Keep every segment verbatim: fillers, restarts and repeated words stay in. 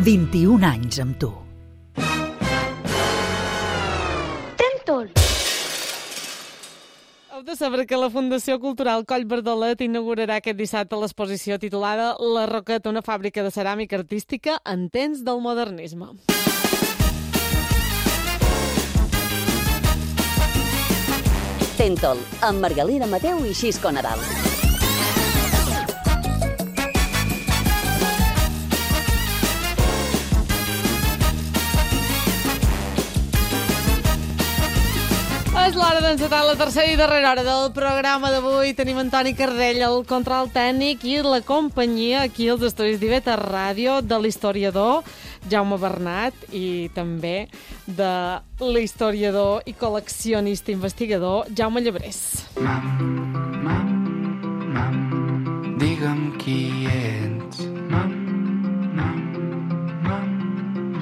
vint-i-un anys amb tu. Tentol. Heu de saber que la Fundació Cultural Coll Bardolet inaugurarà aquest dissabte l'exposició titulada La Roqueta, una fàbrica de ceràmica artística en temps del modernisme. Tentol, amb Margalida Mateu i Xisco Nadal. És l'hora d'encetar la tercera i darrera hora del programa d'avui. Tenim Antoni Cardell, el control tècnic, i la companyia aquí als estudis d'I V T Ràdio de l'historiador Jaume Bernat i també de l'historiador i col·leccionista investigador Jaume Llebrés. Mam, mam, mam, digue'm qui ets. Mam, mam, mam,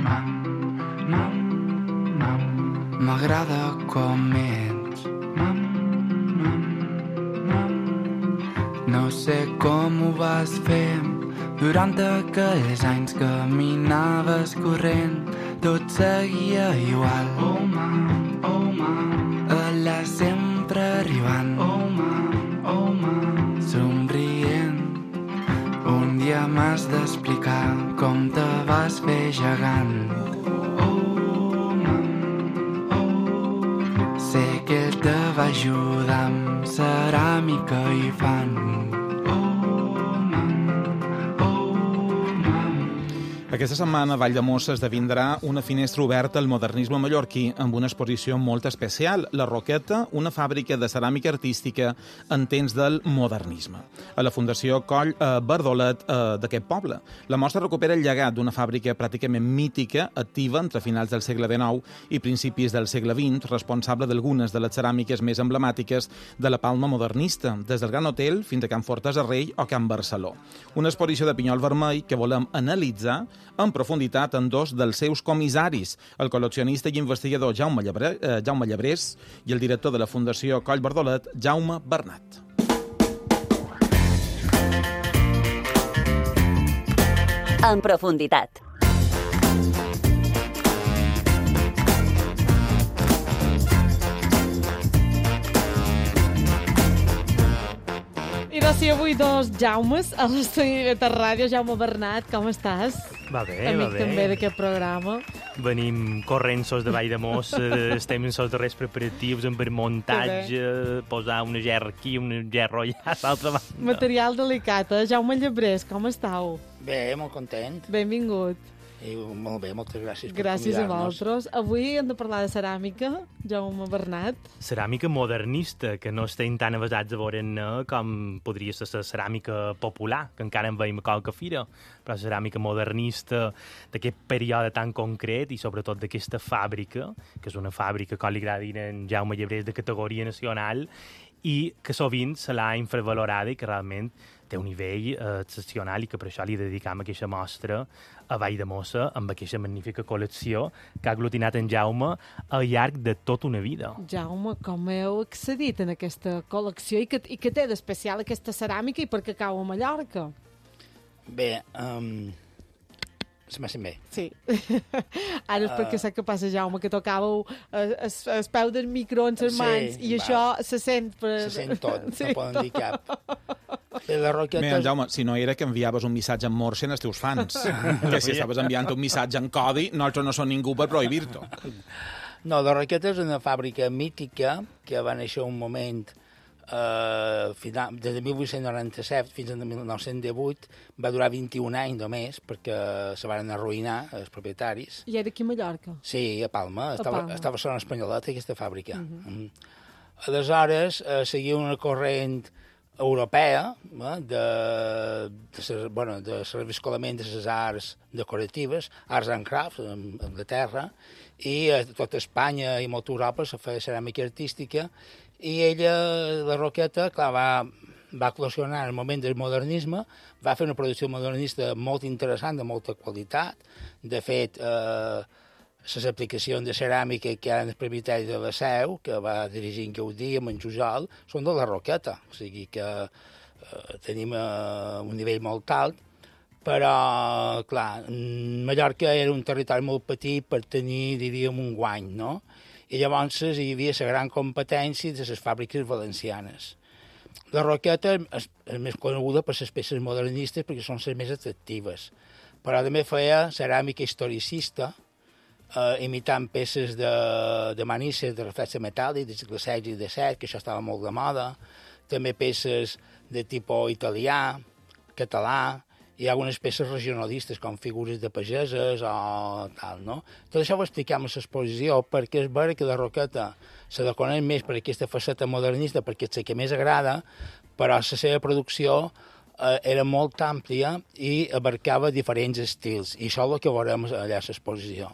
mam, mam, mam, m'agrada com ets. Mam, mam, mam, no sé com ho vas fer durant aquells anys que caminaves corrent, tot seguia igual. Oh, mam, oh, mam, allà sempre arribant. Oh, mam, oh, mam, somrient. Un dia m'has d'explicar com te vas fer gegant. Oh, mam, oh, sé que ell te va ajudar amb ceràmica i fan. Aquesta setmana a Valldemossa esdevindrà una finestra oberta al modernisme mallorquí amb una exposició molt especial, La Roqueta, una fàbrica de ceràmica artística en temps del modernisme, a la Fundació Coll eh, Bardolet eh, d'aquest poble. La mostra recupera el llegat d'una fàbrica pràcticament mítica, activa entre finals del segle dinou i principis del segle vint, responsable d'algunes de les ceràmiques més emblemàtiques de la Palma modernista, des del Gran Hotel fins a Can Fortesa Rei o Can Barceló. Una exposició de pinyol vermell que volem analitzar en profunditat en dos dels seus comissaris, el col·leccionista i investigador Jaume Llebrés, eh, Jaume Llebrés i el director de la Fundació Coll Bardolet, Jaume Bernat. En profunditat. I doncs sí, avui dos Jaumes a l'estudi de Ràdio. Jaume Bernat, com estàs? Va bé, Amic va bé. també d'aquest programa. Venim corrent-sos de Valldemossa, estem en els darrers preparatius, en per muntatge, posar una gerra aquí, una gerra allà, a l'altra banda. Material delicat, eh? Jaume Llebrés, com estàu? Bé, molt content. Benvingut. I molt bé, moltes gràcies per Gràcies a convidar-nos. vosaltres. Avui hem de parlar de ceràmica, Jaume Bernat. Ceràmica modernista, que no estem tan avasats a veure-ne com podria ser la ceràmica popular, que encara en veiem a qualque fira, però la ceràmica modernista d'aquest període tan concret i sobretot d'aquesta fàbrica, que és una fàbrica, com li agrada dir en Jaume Llebrés, de categoria nacional, i que sovint se l'ha infravalorada i que realment té un nivell eh, excepcional i que per això li dedicam aquesta mostra a Valldemossa amb aquesta magnífica col·lecció que ha aglutinat en Jaume al llarg de tota una vida. Jaume, com heu accedit en aquesta col·lecció i que, i que té d'especial aquesta ceràmica i per què cau a Mallorca? Bé, um, se m'ha sent bé. Sí. Ara és perquè sé que passa, Jaume, que tocàveu el, el, el peu del micro en les Sí, mans i va. això se sent... Per... Se sent tot, Sí, no poden dir cap. Bé, la Roqueta... Bé, Jaume, si no era que enviaves un missatge en morse als teus fans, que si estaves enviant un missatge en codi, nosaltres no som ningú per prohibir-t'ho. No, la Roqueta és una fàbrica mítica que va néixer un moment eh, final, des de mil vuit-cents noranta-set fins al mil nou-cents divuit, va durar vint-i-un anys només perquè se van arruïnar els propietaris. I era aquí a Mallorca? Sí, a Palma. A Estava, Palma. estava a Barcelona Espanyoleta, aquesta fàbrica. Uh -huh. mm. Aleshores, eh, seguia una corrent europea eh, de, de, ses, bueno, de reviscolament de les arts decoratives, arts and crafts, en Anglaterra, i a tota Espanya i molta Europa se feia ceràmica artística, i ella, la Roqueta, clar, va, va col·leccionar en el moment del modernisme, va fer una producció modernista molt interessant, de molta qualitat. De fet, eh, les aplicacions de ceràmica que hi ha en el propietari de la Seu, que va dirigir en Gaudí amb en Jujol, són de la Roqueta. O sigui que eh, tenim eh, un nivell molt alt. però, clar, Mallorca era un territori molt petit per tenir, diríem, un guany, no? I llavors hi havia la gran competència de les fàbriques valencianes. La Roqueta és, és més coneguda per les peces modernistes perquè són les més atractives, però també feia ceràmica historicista, eh, imitant peces de, de manisses de reflexe metàl·lic, de segle setze i disset, que això estava molt de moda, també peces de tipus italià, català, hi ha algunes peces regionalistes, com figures de pageses o tal, no? Tot això ho expliquem a l'exposició, perquè és vera que la Roqueta se la coneix més per aquesta faceta modernista, perquè és la que més agrada, però la seva producció eh, era molt àmplia i abarcava diferents estils, i això és el que veurem allà a l'exposició.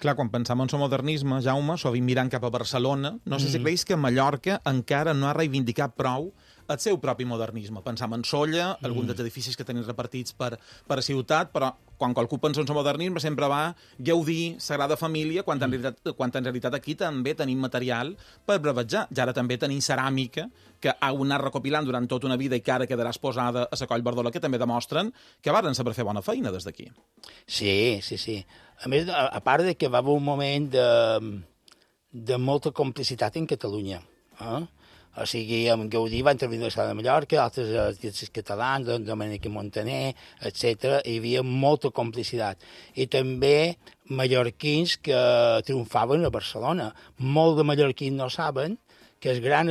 Clar, quan pensam en el modernisme, Jaume, sovint mirant cap a Barcelona, no sé si Mm. creus que Mallorca encara no ha reivindicat prou el seu propi modernisme. Pensam en Solla, mm. alguns dels edificis que tenim repartits per, per a ciutat, però quan qualcú pensa en el modernisme sempre va gaudir Sagrada Família, quan en, realitat, quan en realitat aquí també tenim material per brevetjar. Ja ara també tenim ceràmica, que ha anat recopilant durant tota una vida i que ara quedarà exposada a la Coll Bardola, que també demostren que varen saber fer bona feina des d'aquí. Sí, sí, sí. A més, a, a part de que va haver un moment de, de molta complicitat en Catalunya. Eh? O sigui, amb Gaudí va intervenir a l'Estat de Mallorca, altres artistes catalans, Domènec Montaner, etcètera. Hi havia molta complicitat. I també mallorquins que triomfaven a Barcelona. Molts de mallorquins no saben que el gran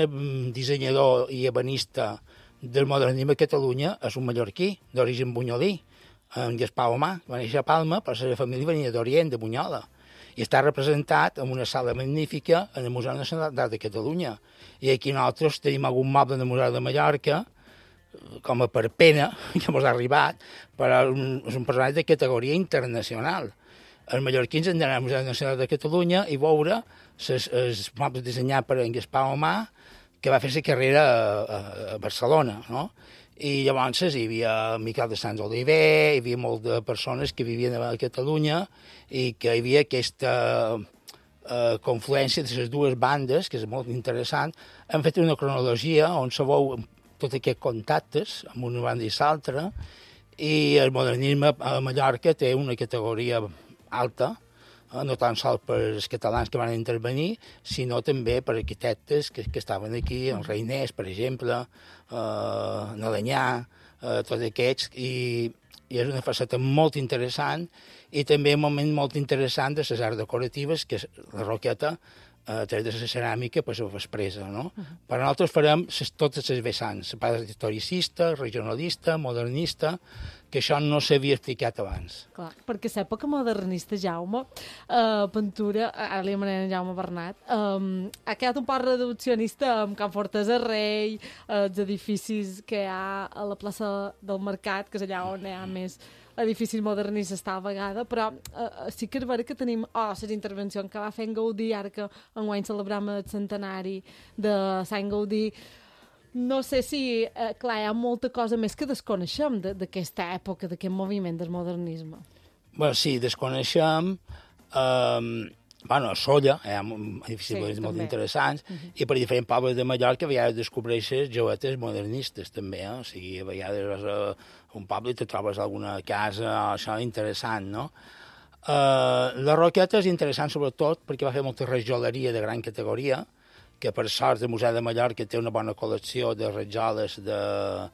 dissenyador i ebenista del modernisme a Catalunya és un mallorquí d'origen bunyolí, en Gaspar Omar. Va néixer a Palma, però la seva família venia d'Orient, de Bunyola. I està representat en una sala magnífica en el Museu Nacional d'Art de Catalunya. I aquí nosaltres tenim algun moble del Museu de Mallorca, com a per pena, que ens ha arribat, però és un personatge de categoria internacional. Els mallorquins han d'anar al Museu Nacional de Catalunya i veure els mobles dissenyats per en Gaspar Omar, que va fer la carrera a, a Barcelona, no? I llavors hi havia Miquel de Sants Oliver, hi havia moltes de persones que vivien a Catalunya i que hi havia aquesta eh, confluència de les dues bandes, que és molt interessant. Hem fet una cronologia on se veu tots aquests contactes amb una banda i l'altra, i el modernisme a Mallorca té una categoria alta, no tan sols per els catalans que van intervenir, sinó també per arquitectes que, que estaven aquí, el Reiners, per exemple, eh, Nalanyà, eh, tots aquests, i, i és una faceta molt interessant, i també un moment molt interessant de les arts decoratives, que és la Roqueta, a través de la ceràmica, pues, ho expressa, no? Uh -huh. Però nosaltres farem ses, totes les vessants, la part historicista, regionalista, modernista, que això no s'havia explicat abans. Clar, perquè l'època modernista, Jaume, eh, pintura, ara li anomenem Jaume Bernat, eh, ha quedat un poc reduccionista amb Can Fortesa Rei, eh, els edificis que hi ha a la plaça del Mercat, que és allà on hi ha més edificis modernistes està a vegada, però eh, sí que és vera que tenim oh, les intervencions que va fer en Gaudí, ara que enguany celebrem el centenari de Sant Gaudí. No sé si, eh, clar, hi ha molta cosa més que desconeixem d'aquesta època, d'aquest moviment del modernisme. Bé, sí, desconeixem. Eh, bueno, a Solla hi ha edificis sí, molt interessants, uh -huh. i per diferents pobles de Mallorca a vegades descobreixes joetes modernistes, també, eh? O sigui, a vegades vas a un poble i te trobes alguna casa, això interessant, no? Eh, la Roqueta és interessant sobretot perquè va fer molta rajoleria de gran categoria, que per sort el Museu de Mallorca té una bona col·lecció de rajoles de,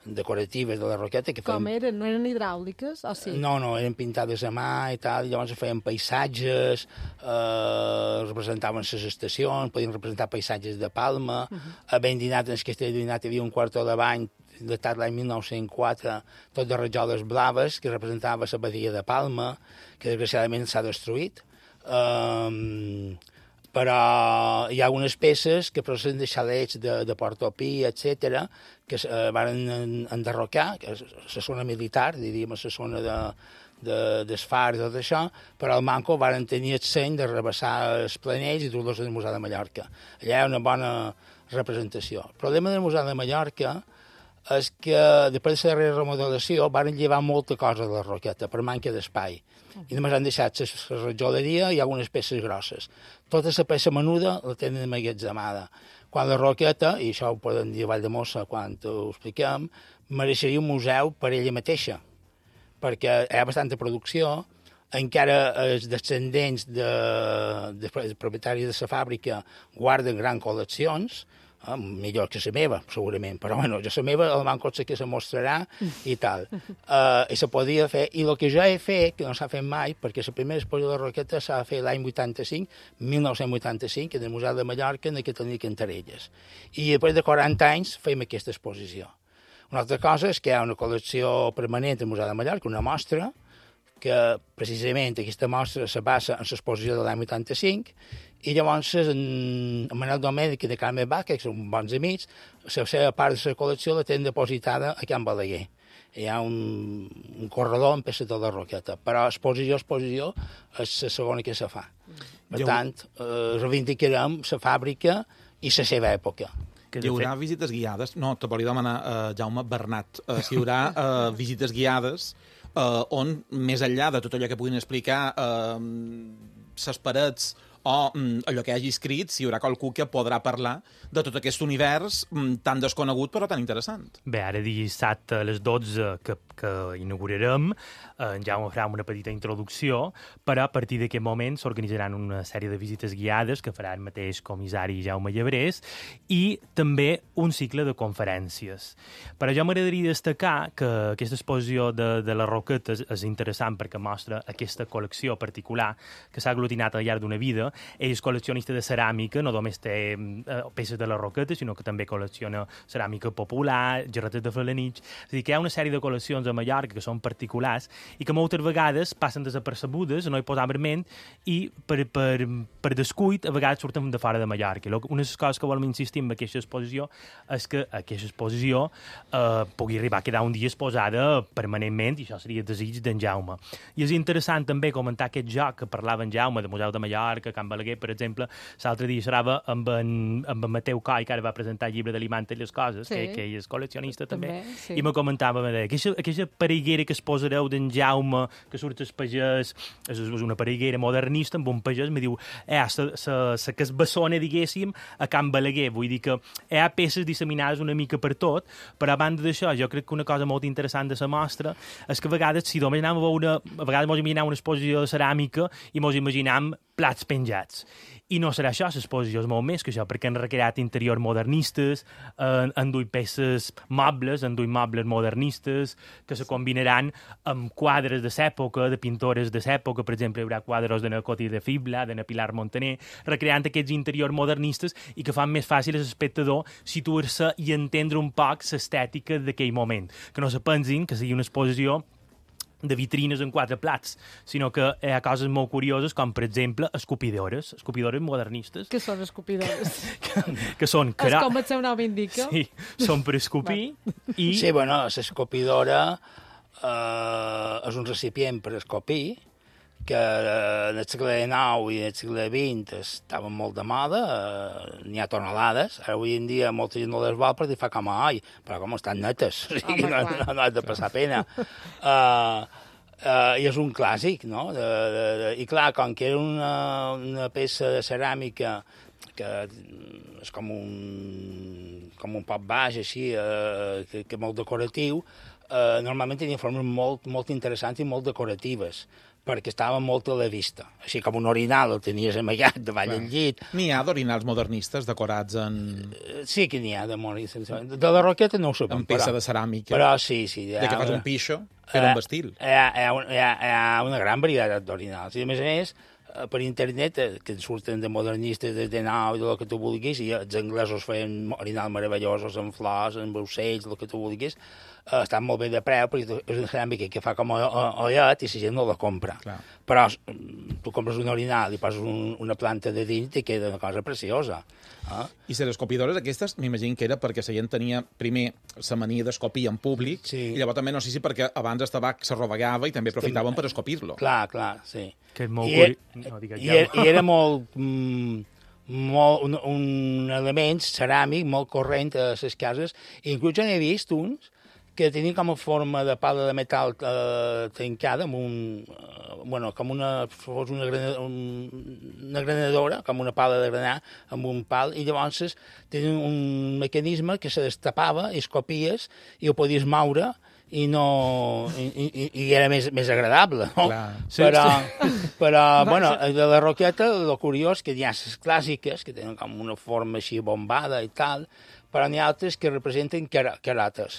decoratives de la Roqueta. Que Com feien... eren? No eren hidràuliques? O sí? No, no, eren pintades a mà i tal, i llavors feien paisatges, eh, representaven les estacions, podien representar paisatges de Palma. Uh -huh. A Vendinat, en el castell de Vendinat, hi havia un quarto de bany datat l'any mil nou-cents quatre, tot de rajoles blaves, que representava la badia de Palma, que desgraciadament s'ha destruït. Um, però hi ha algunes peces que proceden de xalets de, de Portopí, etcètera, que eh, van enderrocar, que és la zona militar, diríem, la zona de, de, d'esfar i tot això, però al Manco van tenir el seny de rebassar els planells i dur-los al Museu de Mallorca. Allà hi ha una bona representació. El problema del Museu de Mallorca és que després de la darrera remodelació van llevar molta cosa de la Roqueta per manca d'espai. I només han deixat la rajoleria i algunes peces grosses. Tota la peça menuda la tenen emmagatzemada. Quan la Roqueta, i això ho poden dir a Valldemossa quan ho expliquem, mereixeria un museu per ella mateixa, perquè hi ha bastanta producció, encara els descendents de, de, de propietaris de la fàbrica guarden grans col·leccions, eh, millor que la meva, segurament, però bueno, jo la meva el banco sé que se mostrarà i tal. Uh, I se podia fer, i el que jo he fet, que no s'ha fet mai, perquè la primera exposició de Roqueta s'ha fet l'any vuitanta-cinc, mil nou-cents vuitanta-cinc, en el Museu de Mallorca, en aquest tenia Cantarelles. I després de quaranta anys fem aquesta exposició. Una altra cosa és que hi ha una col·lecció permanent al Museu de Mallorca, una mostra, que precisament aquesta mostra se basa en l'exposició de l'any vuitanta-cinc, i llavors en, en Manel Domènech i de Carme Bach, que són bons amics, la seva part de la col·lecció la tenen depositada a Can Balaguer. Hi ha un, un corredor amb peces de la Roqueta, però exposició, exposició és la segona que se fa. Per Jo... tant, eh, reivindicarem la fàbrica i la seva època. Hi haurà visites guiades? No, te volia demanar, uh, Jaume Bernat, uh, si hi haurà uh, visites guiades uh, on, més enllà de tot allò que puguin explicar uh, ses parets o um, allò que hagi escrit, si hi haurà qualcú que podrà parlar de tot aquest univers um, tan desconegut però tan interessant. Bé, ara dissabte a les dotze que, que inaugurarem, eh, en Jaume farà una petita introducció, però a partir d'aquest moment s'organitzaran una sèrie de visites guiades que farà el mateix comissari Jaume Llebrés i també un cicle de conferències. Però jo m'agradaria destacar que aquesta exposició de, de la Roqueta és, és interessant perquè mostra aquesta col·lecció particular que s'ha aglutinat al llarg d'una vida. Ell és col·leccionista de ceràmica, no només té eh, peces de la Roqueta, sinó que també col·lecciona ceràmica popular, gerretes de Felanitx. És a dir, que hi ha una sèrie de col·leccions a Mallorca que són particulars i que moltes vegades passen desapercebudes, no hi posam verment, i per, per, per descuit a vegades surten de fora de Mallorca. Una de les coses que volem insistir en aquesta exposició és que aquesta exposició eh, pugui arribar a quedar un dia exposada permanentment, i això seria el desig d'en Jaume. I és interessant també comentar aquest joc que parlava en Jaume, de Museu de Mallorca, Can Balaguer, per exemple. L'altre dia xerrava amb en, amb en Mateu Coll, que ara va presentar el llibre de l'Imanta i les coses, sí, que, que ell és col·leccionista també, també sí. I me comentava, me deia, aquesta, aquesta pareguera que es posareu d'en Jaume, que surt el pagès, és una pareguera modernista amb un pagès, me diu, eh, la casbassona, diguéssim, a Can Balaguer. Vull dir que hi ha peces disseminades una mica per tot, però a banda d'això, jo crec que una cosa molt interessant de la mostra és que a vegades, si només anem a veure, a vegades mos imaginem una exposició de ceràmica i mos imaginem plats penjats. I no serà això, l'exposició és molt més que això, perquè han recreat interiors modernistes, eh, han duit peces mobles, han duit mobles modernistes, que se combinaran amb quadres de l'època, de pintores de l'època. Per exemple, hi haurà quadres de Coti de Fibla, de Pilar Montaner, recreant aquests interiors modernistes i que fan més fàcil a l'espectador situar-se i entendre un poc l'estètica d'aquell moment. Que no se pensin que sigui una exposició de vitrines en quatre plats, sinó que hi ha coses molt curioses, com, per exemple, escopidores, escopidores modernistes. Què són escopidores? que, que són... És com el seu nom indica. Sí, són per escopir i... Sí, bueno, l'escopidora eh, és un recipient per escopir, que en el segle dinou i en el segle vint estaven molt de moda, eh, n'hi ha tonelades, ara avui en dia molta gent no les vol perquè fa com a oi, però com estan netes, o sigui, no, no, no has de passar pena. Uh, uh, I és un clàssic, no? De, de, de, I clar, com que era una, una peça de ceràmica que és com un, com un poc baix, així, uh, que, que molt decoratiu, uh, normalment tenia formes molt, molt interessants i molt decoratives, perquè estava molt a la vista. Així com un orinal el tenies amagat davall del llit. N'hi ha d'orinals modernistes decorats en... Sí que n'hi ha de modernistes. De la Roqueta no ho sabem, en peça però, de ceràmica. Però sí, sí. De que fas un pixo, fer un vestil. Hi ha, hi, ha, hi, ha, hi ha una gran varietat d'orinals. I a més a més, per internet, que surten de modernistes des de nou i del que tu vulguis, i els anglesos feien orinals meravellosos amb flors, amb ocells, el que tu vulguis, Uh, estan molt bé de preu, perquè és una ceràmica que fa com a ollet i la gent no la compra. Clar. Però tu compres un orinal i poses un, una planta de dins i queda una cosa preciosa. Eh? I les escopidores aquestes, m'imagino que era perquè la gent tenia primer la mania d'escopir en públic, sí. I llavors també no sé si perquè abans el tabac s'arrovegava i també aprofitaven per escopir-lo. Clar, clar, sí. Que és molt I, curi... no, i, era, I era molt... Mm, molt, un, un element ceràmic molt corrent a les cases. I inclús ja n'he vist uns que tenia com a forma de pala de metal eh, tancada, amb un, eh, bueno, com una, fos una, granadora, un, una granadora, com una pala de granar, amb un pal, i llavors tenia un mecanisme que se destapava i escopies i ho podies moure i no i, i, i era més, més agradable, no? Clar. Sí, però, sí. però bueno, de la roqueta, el curiós que hi ha les clàssiques, que tenen com una forma així bombada i tal, però n'hi ha altres que representen cara, carates.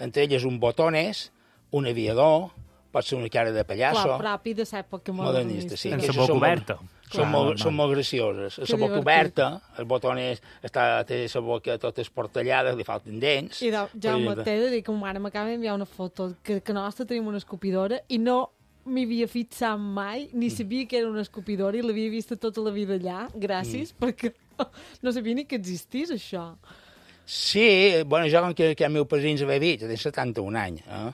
Entre elles un botones, un aviador, pot ser una cara de pallasso. Clar, propi de l'època modernista, sí. En que la són boca molt- oberta. Són molt, són molt gracioses. Que La boca divertit. oberta, el botones està, té la boca tota esportellada, li falten dents. I de, Jaume, exemple. t'he de dir que ma mare m'acaba d'enviar una foto que, que nostra tenim una escopidora i no m'hi havia fixat mai, ni sabia que era una escopidora i l'havia vista tota la vida allà, gràcies, mm. perquè no sabia ni que existís això. Sí, bueno, jo com que, que el meu padrí ens havia dit, té setanta-un anys, eh?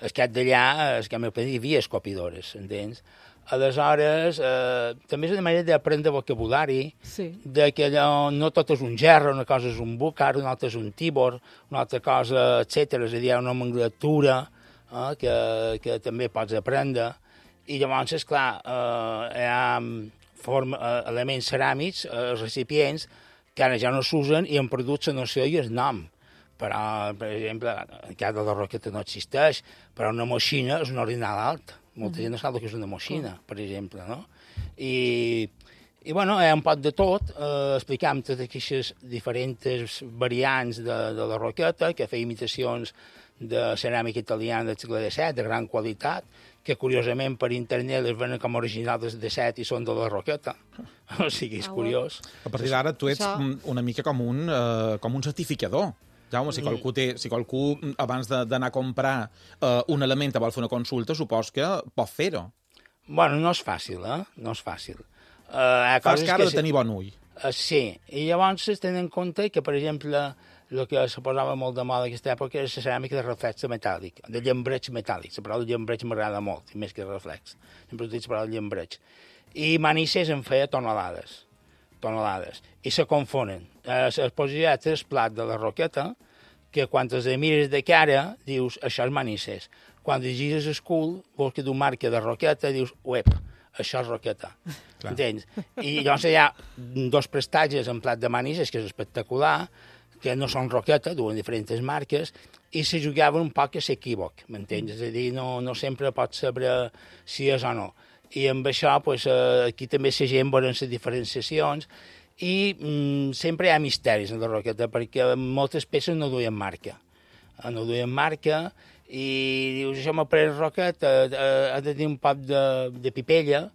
El cap d'allà, el que el meu padrí hi havia escopidores, entens? Aleshores, eh, també és una manera d'aprendre vocabulari, Sí. de que allò, no tot és un gerro, una cosa és un bucar, una altra és un tibor, una altra cosa, etcètera. És a dir, hi ha una nomenclatura eh, que, que també pots aprendre. I llavors, esclar, eh, hi ha forma, eh, elements ceràmics, eh, recipients, que ara ja no s'usen i han perdut la noció i el nom. Però, per exemple, en cas de la roqueta no existeix, però una moixina és un orinal alt. Molta gent no sap el que és una moixina, per exemple, no? I, i bueno, hi ha un poc de tot, eh, explicam totes aquestes diferents variants de, de la roqueta, que feia imitacions de ceràmica italiana del segle disset, de gran qualitat, que curiosament per internet les venen com originals del disset i són de la roqueta. O sigui, és Ah, curiós. A partir d'ara tu ets Això- mm, una mica com un, eh, com un certificador. Jaume, si qualcú, té, si qualcú mm, abans de- d'anar a comprar eh, un element te vol fer una consulta, supos que pot fer-ho. Bueno, no és fàcil, eh? No és fàcil. Uh, hi ha Fas coses cara que de tenir bon ull. Uh, sí, i llavors es tenen en compte que, per exemple, el que se posava molt de moda en aquesta època és la ceràmica de reflex metàl·lic, de llambreig metàl·lic. La paraula llambreig m'agrada molt, més que reflex. Sempre utilitzo la paraula llambreig. I Manises en feia tonelades, tonelades, i se confonen. Eh, es posia tres plats de la roqueta, que quan els mires de cara, dius, això és Manises. Quan gires el cul, vols que tu marca de roqueta, dius, uep, això és roqueta. Clar. Entens? I llavors hi ha dos prestatges en plat de Manises, que és espectacular, que no són roqueta, duen diferents marques, i se jugaven un poc a s'equívoc, m'entens? És a dir, no, no sempre pots saber si és o no. I amb això, pues, eh, aquí també la gent veuen les diferenciacions, i mm, sempre hi ha misteris en la roqueta, perquè moltes peces no duien marca. Eh, No duien marca, i dius, això m'ha pres roqueta, eh, ha de tenir un poc de, de pipella,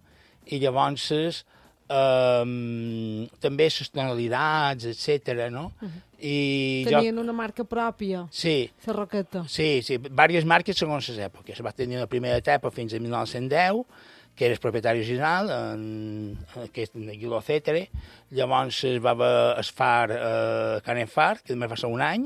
i llavors eh, també les tonalitats, etcètera, no? I Tenien jo... una marca pròpia, Sí, la roqueta. sí, sí, diverses marques segons les èpoques. Va tenir una primera etapa fins a mil nou-cents deu, que era el propietari original, en, aquest Guiló Cetere. Llavors es va haver el far eh, Canet Far, que només va ser un any,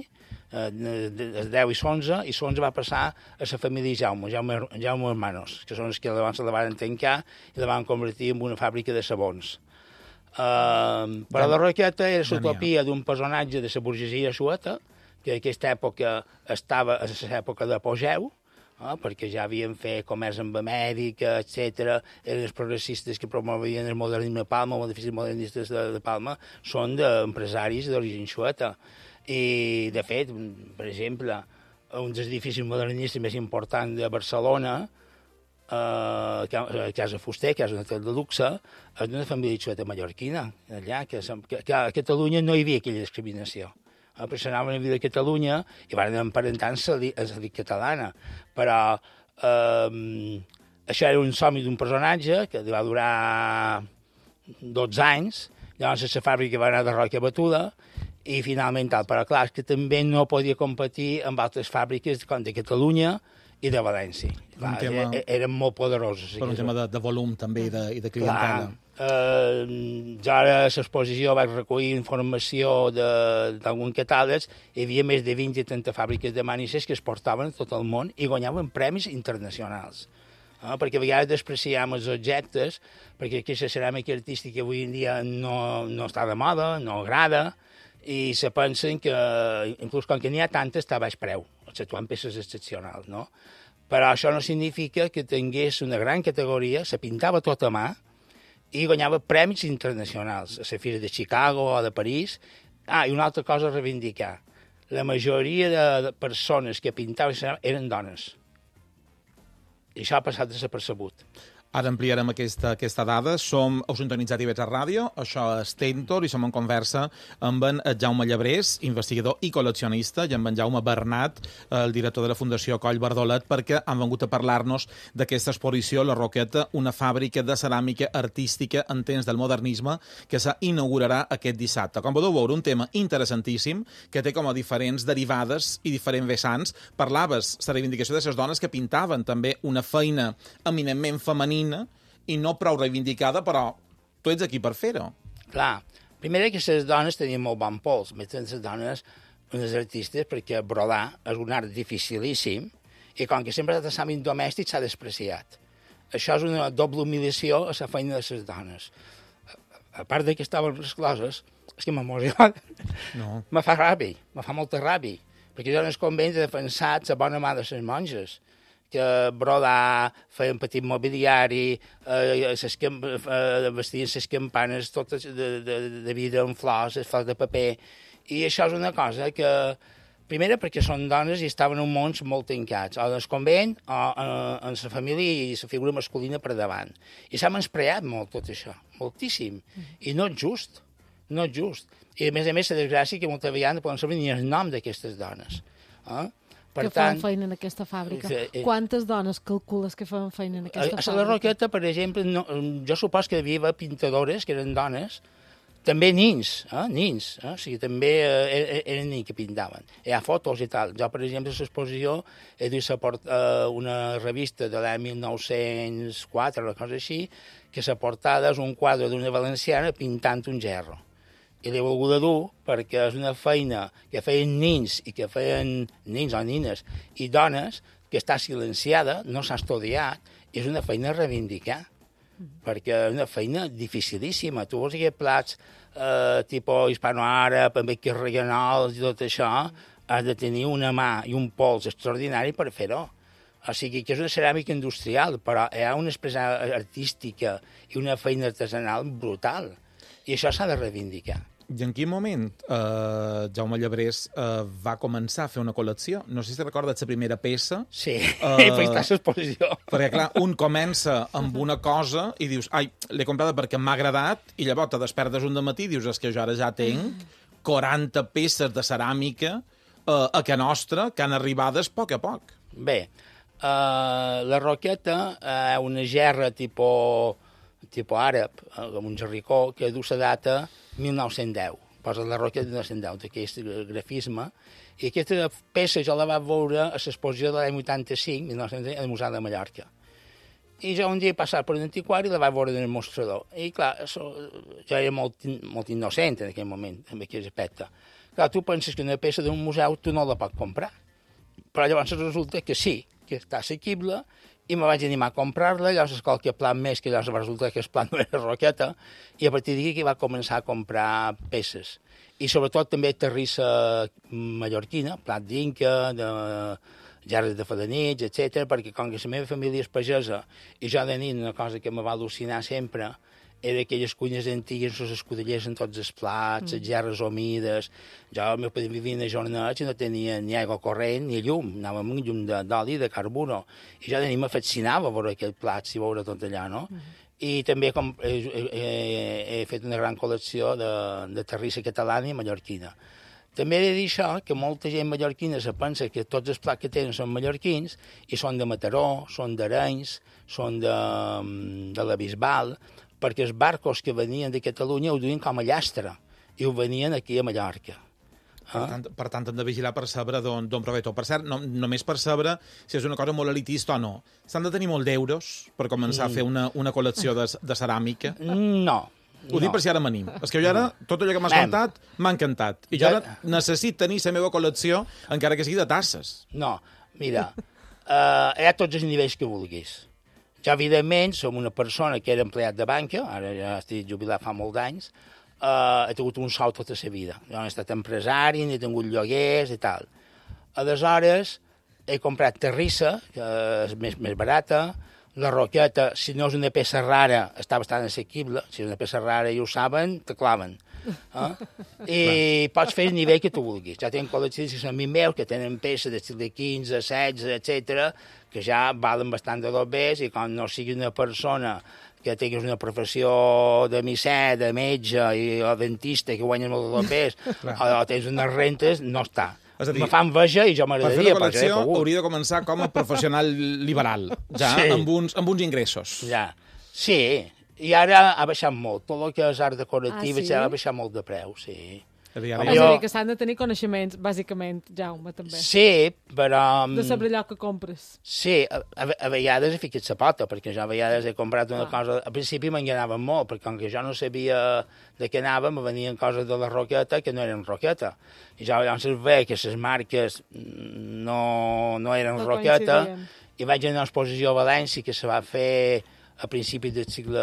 eh, el deu i l'onze, i l'onze va passar a la família Jaume, Jaume, Jaume Hermanos, que són els que llavors la van tancar i la van convertir en una fàbrica de sabons. Uh, però la roqueta era l'utopia d'un personatge de la burgesia sueta, que en aquesta època estava a l'època d'apogeu, eh, perquè ja havien fet comerç amb Amèrica, etcètera. Eren els progressistes que promovien el modernisme a Palma, els edificis modernistes de, de Palma, són d'empresaris d'origen sueta. I, de fet, per exemple, un dels edificis modernistes més importants de Barcelona, Uh, Casa Fuster, que és un hotel de luxe, és d'una família xueta mallorquina, allà, que, que, que a Catalunya no hi havia aquella discriminació. Uh, però s'anaven a viure a Catalunya i van emparentar amb la catalana. Però uh, això era un somni d'un personatge que va durar dotze anys, llavors la fàbrica va anar de roca batuda, i finalment tal. Però clar, és que també no podia competir amb altres fàbriques com de Catalunya i de València. Clar, tema... e- eren molt poderosos. Per un tema de, de volum també i de, i de clientela. Clar, eh, jo ara a l'exposició vaig recollir informació d'alguns catàlegs, hi havia més de vint i trenta fàbriques de manises que es portaven a tot el món i guanyaven premis internacionals. Eh, perquè a vegades despreciam els objectes, perquè aquesta ceràmica artística avui en dia no, no està de moda, no agrada, i se pensen que, inclús com que n'hi ha tantes, està a baix preu, exceptuant peces excepcionals, no? Però això no significa que tingués una gran categoria, se pintava tot a mà i guanyava premis internacionals, a la Fira de Chicago o de París. Ah, i una altra cosa a reivindicar. la majoria de, de persones que pintaven eren dones. I això ha passat desapercebut. Ara ampliarem aquesta, aquesta dada. Som heu sintonitzat I V E T A Ràdio, això és Tentor, i som en conversa amb en Jaume Llebrés, investigador i col·leccionista, i amb en Jaume Bernat, el director de la Fundació Coll Bardolet, perquè han vengut a parlar-nos d'aquesta exposició, La Roqueta, una fàbrica de ceràmica artística en temps del modernisme, que s'inaugurarà aquest dissabte. Com podeu veure, un tema interessantíssim, que té com a diferents derivades i diferents vessants. Parlaves la reivindicació de les dones que pintaven també una feina eminentment femenina i no prou reivindicada, però tu ets aquí per fer-ho. Clar, primer que les dones tenien molt bon pols, més les dones, unes artistes, perquè brodar és un art dificilíssim i com que sempre ha estat l'àmbit domèstic s'ha despreciat. Això és una doble humiliació a la feina de les dones. A part de que estaven rescloses, és que m'emociona. No. Me fa ràbia, me fa molta ràbia, perquè jo en el convent he defensat la bona mà de les monges, que brodar, feien petit mobiliari, eh, ses, eh, vestien les campanes totes de, de, de vida en flors, les flors de paper, i això és una cosa que, primera, perquè són dones i estaven en mons molt tancats, o en el convent, o en, en la família i la figura masculina per davant. I s'ha menyspreat molt tot això, moltíssim, i no és just, no és just. I a més a més, la desgràcia que molta vegada no poden saber ni el nom d'aquestes dones. Eh? Per que tant, fan feina en aquesta fàbrica. Eh, eh, Quantes dones calcules que fan feina en aquesta a, fàbrica? A la Roqueta, per exemple, no, jo supos que hi havia pintadores, que eren dones, també nins, eh, nins, eh? O sigui, també eh, eren nins que pintaven. Hi ha fotos i tal. Jo, per exemple, a l'exposició he dut eh, una revista de l'any mil nou-cents quatre, una cosa així, que la portada és un quadre d'una valenciana pintant un gerro. I l'he volgut dur perquè és una feina que feien nins i que feien nins o nines i dones que està silenciada, no s'ha estudiat, i és una feina a reivindicar, perquè és una feina dificilíssima. Tu vols aquests plats eh, tipus hispano-àrab, amb aquests regionals i tot això, has de tenir una mà i un pols extraordinari per fer-ho. O sigui que és una ceràmica industrial, però hi ha una expressió artística i una feina artesanal brutal. I això s'ha de reivindicar. I en quin moment eh, Jaume Llebrés eh, va començar a fer una col·lecció? No sé si recordes la primera peça. Sí, uh, i vaig estar a l'exposició. Perquè, clar, un comença amb una cosa i dius, ai, l'he comprada perquè m'ha agradat, i llavors te despertes un dematí i dius, és que jo ara ja tenc quaranta peces de ceràmica eh, a Can Nostra que han arribades a poc a poc. Bé, uh, la Roqueta és uh, una gerra tipus... tipus àrab, amb un jerricó, que du la data mil nou-cents deu. Posa la Roqueta de mil nou-cents deu, d'aquest grafisme. I aquesta peça jo la vaig veure a l'exposició de l'any vuitanta-cinc, mil nou-cents deu, al Museu de Mallorca. I jo un dia he passat per un antiquari i la vaig veure en el mostrador. I clar, això, jo era molt, molt innocent en aquell moment, en aquell aspecte. Clar, tu penses que una peça d'un museu tu no la pots comprar. Però llavors resulta que sí, que està assequible, i me vaig animar a comprar-la, llavors qualque plan més, que llavors va resultar que el plan no era Roqueta, i a partir d'aquí va començar a comprar peces. I sobretot també terrissa mallorquina, plat d'inca, de gerres de falanits, etcètera, perquè com que la meva família és pagesa, i jo de nit una cosa que me va al·lucinar sempre era aquelles cuines antigues, els escudellers en tots els plats, les gerres humides. Jo, el meu pare vivia en jornats i no tenia ni aigua corrent ni llum, anava amb un llum d'oli, de carburo. I jo de nit me fascinava veure aquells plats i veure tot allà, no? Uh -huh. I també com, he, he, he fet una gran col·lecció de, de terrissa catalana i mallorquina. També he de dir això, que molta gent mallorquina se pensa que tots els plats que tenen són mallorquins i són de Mataró, són d'Arenys, són de, de la Bisbal, perquè els barcos que venien de Catalunya ho duien com a llastre i ho venien aquí a Mallorca. Per tant, per tant, hem de vigilar per saber d'on prové tot. Per cert, no, només per saber si és una cosa molt elitista o no. S'han de tenir molt d'euros per començar mm. a fer una, una col·lecció de, de ceràmica? No. Ho no. dic per si ara m'anim. És que jo ara, tot allò que m'has contat, m'ha encantat. I jo ara necessito tenir la meva col·lecció, encara que sigui de tasses. No, mira, uh, hi ha tots els nivells que vulguis. Jo, evidentment, som una persona que era empleat de banca, ara ja estic jubilat fa molts anys, uh, he tingut un sou tota la vida. Jo he estat empresari, he tingut lloguers i tal. Aleshores, he comprat terrissa, que és més, més barata. La Roqueta, si no és una peça rara, està bastant assequible. Si és una peça rara i ho saben, te claven. Eh? I pots fer el nivell que tu vulguis. Ja tenen col·leccions que són amics meus, que tenen peces d'estil de quinze, setze, etcètera, que ja valen bastant de dobbers, i com no sigui una persona que tinguis una professió de misser, de metge i, o dentista que guanyes molt de dobbers, o, o tens unes rentes, no està. És a dir, me fan veja i jo per fer m'agradaria. la col·lecció hauria de començar com a professional liberal, ja, Sí. amb, uns, amb uns ingressos. Ja. Sí, i ara ha baixat molt. Tot el que és art decoratiu Ah, sí? ja ha baixat molt de preu, sí. És a dir, Home, ara És ja- a jo- dir, que s'han de tenir coneixements, bàsicament, Jaume, també. Sí, però... De saber allò que compres. Sí, a, a, a vegades he ficat la pota, perquè jo a vegades he comprat una Ah. cosa... Al principi m'enganaven molt, perquè com que jo no sabia de què anava, me venien coses de la roqueta que no eren roqueta. I jo llavors veia que les marques no, no eren No roqueta, coincidien. i vaig anar a una exposició a València que se va fer a principis del segle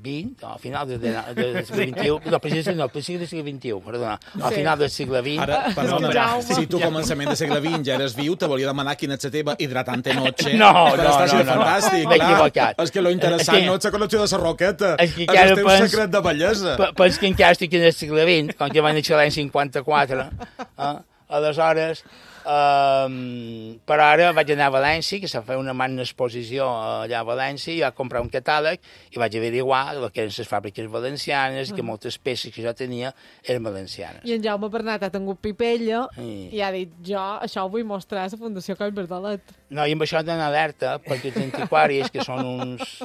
vint, no, a final del de, de, del segle vint-i-u, no, principis, no, principis del segle vint-i-u, perdona, al Sí. final del segle vint. Ara, perdona, Jaume. si tu a començament del segle vint ja eres viu, te volia demanar quina és la teva hidratante noche. No, per no, estar no, sent no, no. fantàstic, M'he clar. equivocat. És que lo interessant És que- no és la col·lecció de la roqueta, És que és encara el teu pens- secret de bellesa. Pe- Pens que encara estic en el segle vint, com que va néixer l'any cinquanta-quatre. Eh? Aleshores, um, però ara vaig anar a València, que s'ha fet una magna exposició allà a València, i vaig comprar un catàleg i vaig averiguar el que eren les fàbriques valencianes i que moltes peces que jo tenia eren valencianes. I en Jaume Bernat ha tingut pipella Sí. i ha dit, jo això ho vull mostrar a la Fundació Coll Verdalet. No, i amb això d'anar alerta, perquè els antiquaris, que són uns...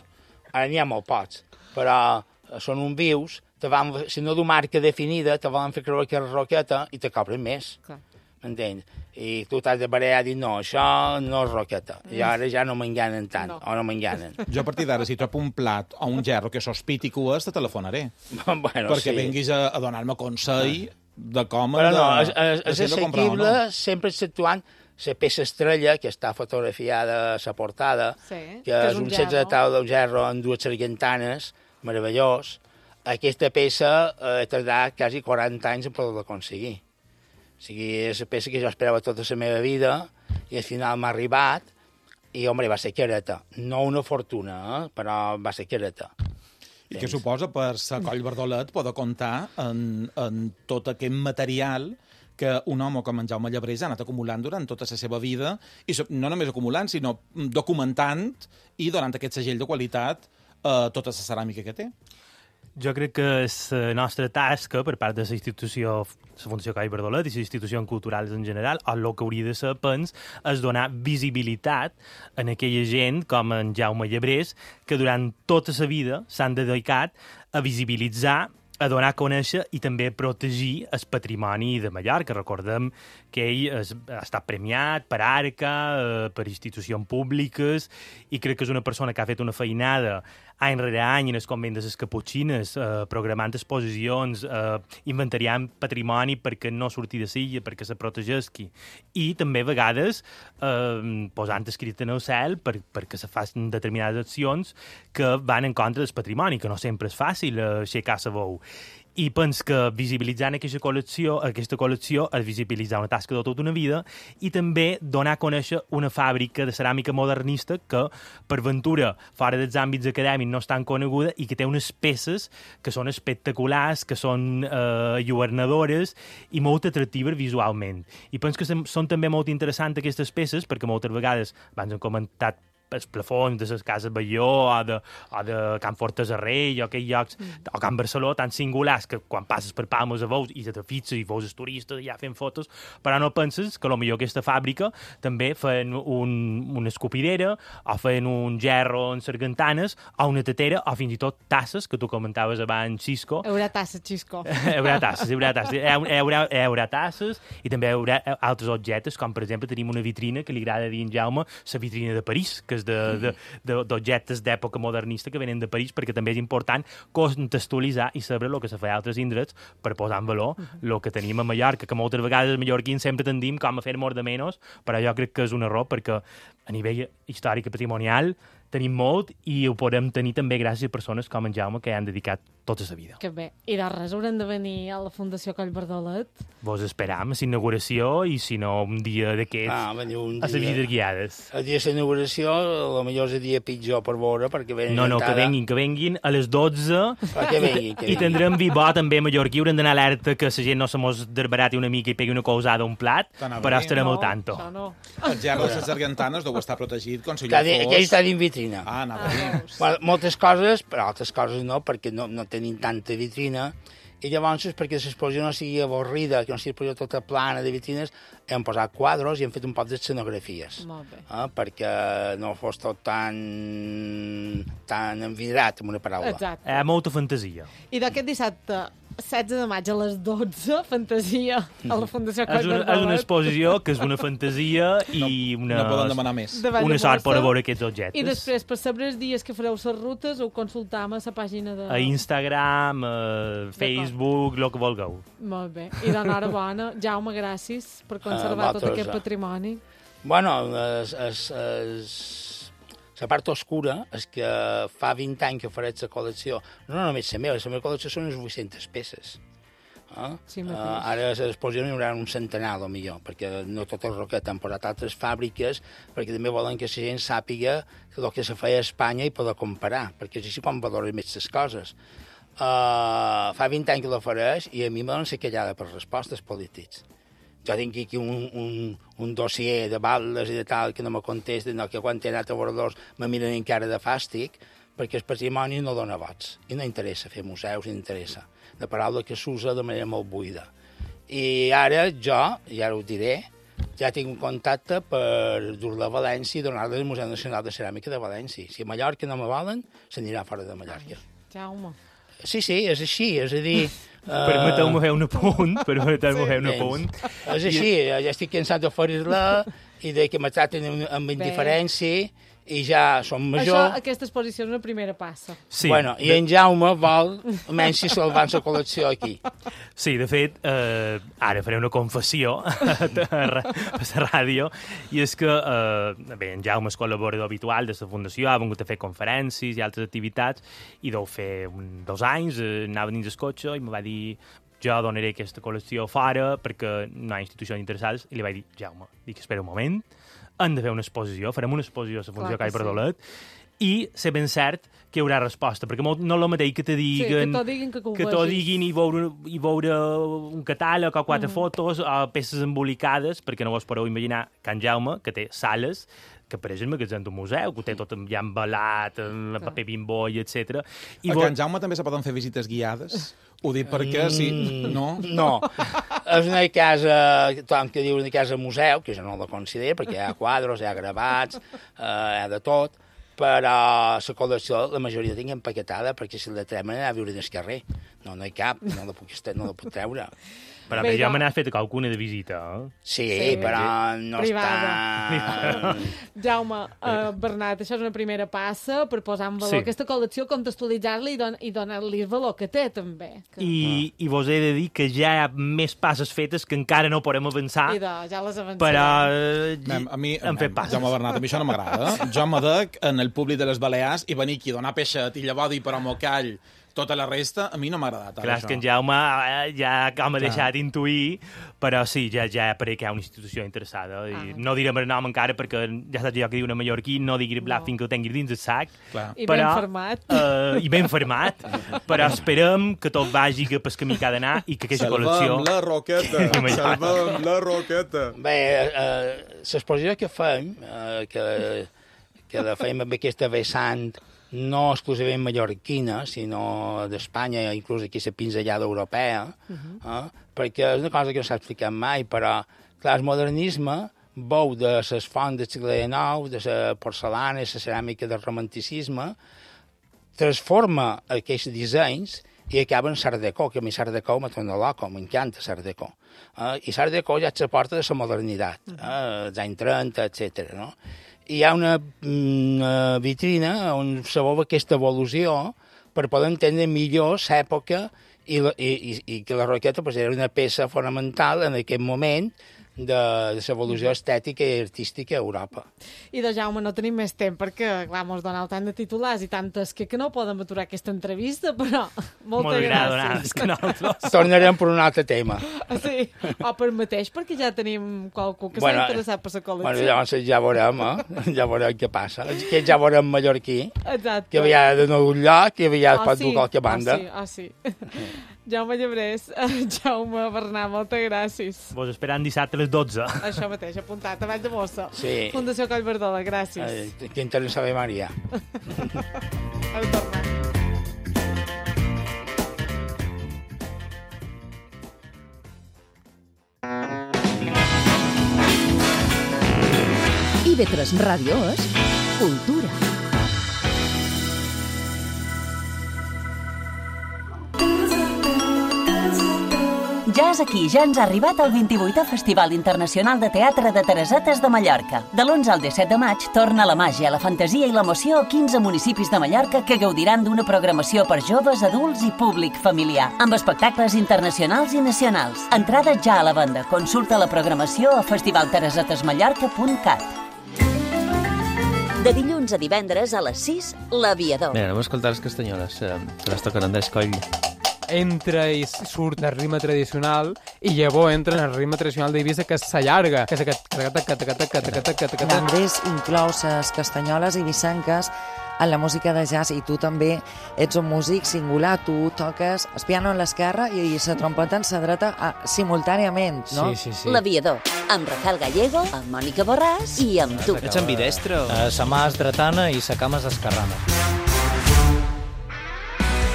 Ara n'hi ha molt pocs, però són uns vius, te van, si no du marca definida, te volen fer creure que és roqueta i te cobren més. Clar. M'entens? I tu t'has de barallar i dir, no, això no és roqueta. I ara ja no m'enganen tant, No. o no m'enganen. Jo a partir d'ara, si trobo un plat o un gerro que sospiti que ho és, te telefonaré. bueno, perquè sí. venguis a, a donar-me consell de com Però de, no, és, és, de és si hem de comprar o assequible, no. sempre exceptuant la peça estrella, que està fotografiada a la portada, Sí, que, és un setze de taula d'un gerro amb dues sargentanes, meravellós. Aquesta peça eh, he tardat quasi quaranta anys en poder-la aconseguir. O sigui, és una peça que jo esperava tota la meva vida i al final m'ha arribat i, home, va ser careta. No una fortuna, eh? Però va ser careta. I que suposa per sa Coll Verdolet poder comptar en, en tot aquest material que un home com en Jaume Llebrés ha anat acumulant durant tota la seva vida, i so- no només acumulant, sinó documentant i donant aquest segell de qualitat a tota la ceràmica que té. Jo crec que és la nostra tasca per part de la institució, la Fundació Coll Verdolet i les institucions culturals en general, o el que hauria de ser, pens, és donar visibilitat en aquella gent com en Jaume Llebrés, que durant tota la vida s'han dedicat a visibilitzar, a donar a conèixer i també a protegir el patrimoni de Mallorca. Recordem que ell es, ha estat premiat per Arca, eh, per institucions públiques, i crec que és una persona que ha fet una feinada any rere any en el convent de les Caputxines, eh, programant exposicions, eh, inventariant patrimoni perquè no surti de silla, perquè se protegeixi. I també a vegades eh, posant escrit en el cel per, perquè se facin determinades accions que van en contra del patrimoni, que no sempre és fàcil eh, aixecar la veu. I pens que visibilitzant aquesta col·lecció, aquesta col·lecció és visibilitzar una tasca de tota una vida i també donar a conèixer una fàbrica de ceràmica modernista que, per ventura, fora dels àmbits acadèmics no és tan coneguda i que té unes peces que són espectaculars, que són eh, lluernadores i molt atractives visualment. I penso que són també molt interessants aquestes peces perquè moltes vegades, abans hem comentat els plafons de les cases Balló o de, o de Can Fortes a Rei o aquells llocs, mm. o Can Barceló, tan singulars que quan passes per Palmes a veus i te fixes i veus els turistes allà fent fotos, però no penses que potser aquesta fàbrica també feien un, una escopidera o feien un gerro en sargantanes o una tetera o fins i tot tasses, que tu comentaves abans, Xisco. Haurà tassa, Xisco. Hi haurà tasses, hi haurà tasses. Hi haurà, hi haurà tasses i també hi haurà altres objectes, com per exemple tenim una vitrina que li agrada dir en Jaume, la vitrina de París, que és d'objectes d'època modernista que venen de París, perquè també és important contextualitzar i saber el que se fa a altres indrets per posar en valor el que tenim a Mallorca, que moltes vegades els mallorquins sempre tendim com a fer molt de menys, però jo crec que és un error perquè a nivell històric i patrimonial tenim molt i ho podem tenir també gràcies a persones com en Jaume que han dedicat tota la vida. Que bé. I de res haurem de venir a la Fundació Coll Bardolet. Vos esperam a la inauguració i, si no, un dia d'aquests Ah, veniu un a les dia. visites guiades. El dia de la inauguració, potser és el dia pitjor per veure, perquè venen No, no, que encara- venguin, que venguin a les dotze Ah, que venguin, que i venguin. tindrem vi bo també a mallorquí. Haurem d'anar alerta que la gent no se mos desbarati una mica i pegui una colzada a un plat, T'anava però a dir. estarem no, al tanto. això no. El gel de les argentanes deu estar protegit, com si Que allò de- fos... Aquell està dins vitrina. Ah, anava a dir. Bueno, moltes coses, però altres coses no, perquè no, no tenim tanta vitrina. I llavors, perquè l'exposició no sigui avorrida, que no sigui exposició tota plana de vitrines, hem posat quadros i hem fet un poc d'escenografies. Molt bé. Eh, perquè no fos tot tan, tan envidrat, amb una paraula. Exacte. Hi ha molta fantasia. I d'aquest dissabte, setze de maig a les dotze, fantasia a la Fundació És Coll una, és una Bardolet. exposició que és una fantasia i una, No poden demanar més. De una sort per Valldemossa. a veure aquests objectes. I després, per saber els dies que fareu les rutes, ho consultam a la pàgina de... A Instagram, a Facebook, el que vulgueu. Molt bé. I d'enhorabona. Jaume, gràcies per conservar Ah, tot vosaltres, aquest eh. patrimoni. Bueno, es, es, es... la part oscura és que fa vint anys que faré la col·lecció, no només la meva, la meva col·lecció són unes vuit-centes peces. Eh? Sí, uh, mateix. ara a l'exposició n'hi haurà un centenar, millor, perquè no tot el roquet han posat altres fàbriques, perquè també volen que la gent sàpiga el que se feia a Espanya i poder comparar, perquè és així quan valores més les coses. Uh, fa vint anys que l'ofereix i a mi me donen ser callada per respostes polítics. Jo tinc aquí un, un, un dossier de baldes i de tal que no me contesten, no, que quan he anat a Bordós me miren encara de fàstic, perquè el patrimoni no dona vots i no interessa fer museus, no interessa. La paraula que s'usa de manera molt buida. I ara jo, i ara ho diré, ja tinc un contacte per dur-la a València i donar-la al Museu Nacional de Ceràmica de València. Si a Mallorca no me volen, s'anirà fora de Mallorca. Jaume. Sí, sí, és així, és a dir... Permeteu-me fer un apunt, permeteu-me fer un apunt. És així, ja estic cansat d'oferir-la i de que me traten amb, amb indiferència i ja som major. Això, aquesta exposició és una primera passa. Sí, Bueno, i en Jaume vol, almenys si se'l van la col·lecció aquí. sí, de fet, eh, ara faré una confessió a la ràdio, i és que eh, bé, en Jaume és col·laborador habitual de la Fundació, ha vingut a fer conferències i altres activitats, i deu fer un, dos anys, eh, anava dins el cotxe i em va dir jo donaré aquesta col·lecció fora perquè no hi ha institucions interessades, i li vaig dir, Jaume, dic, espera un moment, hem de fer una exposició, farem una exposició a la Fundació Clar que Call Bardolet, i sé ben cert que hi haurà resposta, perquè molt, no és el mateix que te diguen, que t'ho diguin que que ho que t'ho vegis. diguin i veure, i veure un catàleg o quatre Mhm. fotos o peces embolicades, perquè no vos podeu imaginar Can Jaume, que té sales, que pareix el magatzem d'un museu, que ho té tot ja embalat, amb paper bimbo i etcètera. I A vo- Can Jaume també se poden fer visites guiades? Ho dic perquè, sí, no? No, és una casa, tothom que diu una casa museu, que jo no la considero, perquè hi ha quadros, hi ha gravats, eh, hi ha de tot, però la col·lecció la majoria tinc empaquetada, perquè si la tremen anar a viure en el carrer. No, no hi cap, no la puc, no la puc treure. Però Bé, bé, jo jo- me n'he fet qualcuna de visita, eh? Sí, Sí. però no Privada. està... Jaume, uh, Bernat, això és una primera passa per posar en valor Sí. aquesta col·lecció, contextualitzar-la i, don i donar-li el valor que té, també. Que... I, I vos he de dir que ja hi ha més passes fetes que encara no podem avançar, I de, ja les avancem. però eh, Mem, a mi, hem fet passes. Jaume Bernat, a mi això no m'agrada. Jo m'adec en el públic de les Balears i venir aquí a donar peixet i llavors dir però m'ho call tota la resta, a mi no m'ha agradat. Clar, és que en Jaume eh, ja com ha deixat intuir, però sí, ja, ja apareix que hi ha una institució interessada. I Ah. no direm el nom encara perquè ja saps jo que diu una mallorquí, no digui blat No. fins que ho tinguis dins el sac. Clar. I ben format. Eh, I ben format, però esperem que tot vagi cap el camí que ha d'anar i que aquesta col·lecció... Salvem la roqueta, salvem la roqueta. Bé, eh, l'exposició que fem, eh, que, que la fem amb aquesta vessant no exclusivament mallorquina, sinó d'Espanya, inclús aquí la pinzellada europea, uh -huh. eh, perquè és una cosa que no s'ha explicat mai, però, clar, el modernisme veu de les fonts del segle dinou, de la porcelana, la ceràmica del romanticisme, transforma aquests dissenys i acaba en Art Deco, que a mi Art Deco me torna loco, m'encanta Art Deco. Uh, I Art Deco ja se porta de la modernitat, uh, els anys trenta, etcètera. No? I hi ha una, una vitrina on se veu aquesta evolució per poder entendre millor l'època i, la, i, i, i que la roqueta pues, era una peça fonamental en aquest moment de, de l'evolució estètica i artística a Europa. I de Jaume no tenim més temps perquè, clar, mos doneu tant de titulars i tantes que, que no podem aturar aquesta entrevista, però moltes Molt gràcies. que nosaltres. Tornarem per un altre tema. Sí, o per mateix, perquè ja tenim qualcú que Bueno, s'ha interessat per la Bueno, col·lecció. llavors ja veurem, eh? Ja veurem què passa. Que ja veurem mallorquí, Exacte. que havia de nou lloc i havia Ah, pot sí? dur qualque banda. Ah, sí, ah, sí. Jaume Llebrés, Jaume Bernat, moltes gràcies. Vos esperant dissabte a les dotze. Això mateix, apuntat, a Vall de Mossa. Sí. Fundació Collverdola, gràcies. Eh, que interessa Ave Maria. Al tornar. I ve tres Ràdio és cultura. Ja és aquí, ja ens ha arribat el vint-i-vuitè Festival Internacional de Teatre de Teresetes de Mallorca. De l'onze al disset de maig torna la màgia, la fantasia i l'emoció a quinze municipis de Mallorca que gaudiran d'una programació per joves, adults i públic familiar, amb espectacles internacionals i nacionals. Entrada ja a la venda. Consulta la programació a festival teresetes mallorca punt cat. De dilluns a divendres a les sis, l'Aviador. Bé, anem a escoltar les castanyoles, eh, que les toquen Andrés Coll. Entra i surt el ritme tradicional i llavors entra en el ritme tradicional d'Eivissa, que s'allarga, que és aquest... L'Andrés inclou les castanyoles eivissenques en la música de jazz i tu també ets un músic singular, tu toques el piano en l'esquerra i la trompeta en la dreta ah, simultàniament, no? Sí, sí, sí. L'Aviador, amb Rafael Gallego, amb Mònica Borràs i amb tu. Ets ambidestre? Uh, sa mà és dretana i sa cama és esquerrana.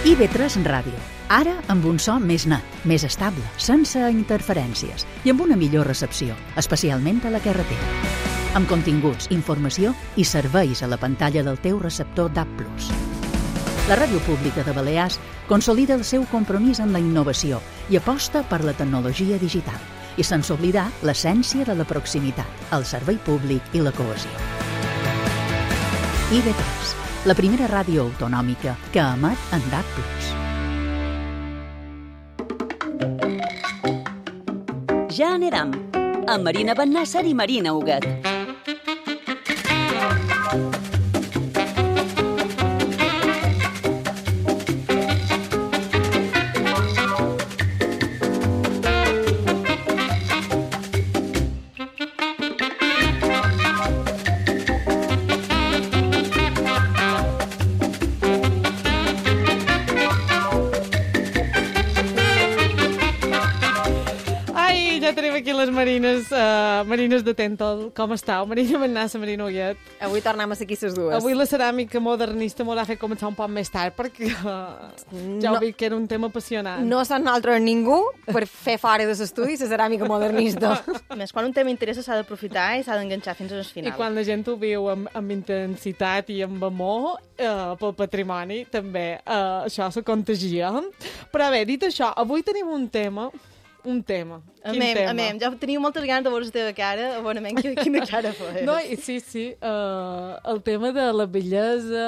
I ve tres Ràdio. Ara amb un so més net, més estable, sense interferències i amb una millor recepció, especialment a la carretera. Amb continguts, informació i serveis a la pantalla del teu receptor D A B plus. La Ràdio Pública de Balears consolida el seu compromís amb la innovació i aposta per la tecnologia digital i sense oblidar l'essència de la proximitat, el servei públic i la cohesió. I ve tres, la primera ràdio autonòmica que emet en D A B plus. Ja anirem, amb Marina Bennàsser i Marina Huguet. Ja tenim aquí les marines, uh, marines de Tentol. Com estàu? Marina Bennàsser, Marina Huguet. Avui tornem a ser aquí les dues. Avui la ceràmica modernista m'ho ha fet començar un poc més tard perquè uh, ja No. ho vi que era un tema apassionant. No som nosaltres ningú per fer fora de l'estudi la ceràmica modernista. A més, quan un tema interessa s'ha d'aprofitar i s'ha d'enganxar fins al final. I quan la gent ho viu amb, amb intensitat i amb amor eh, pel patrimoni, també eh, això se contagia. Però bé, dit això, avui tenim un tema, un tema. A Quin mem, tema? a mem, jo tenia moltes ganes de veure la teva cara, abonament, quina cara fes. No, i sí, sí, uh, el tema de la bellesa...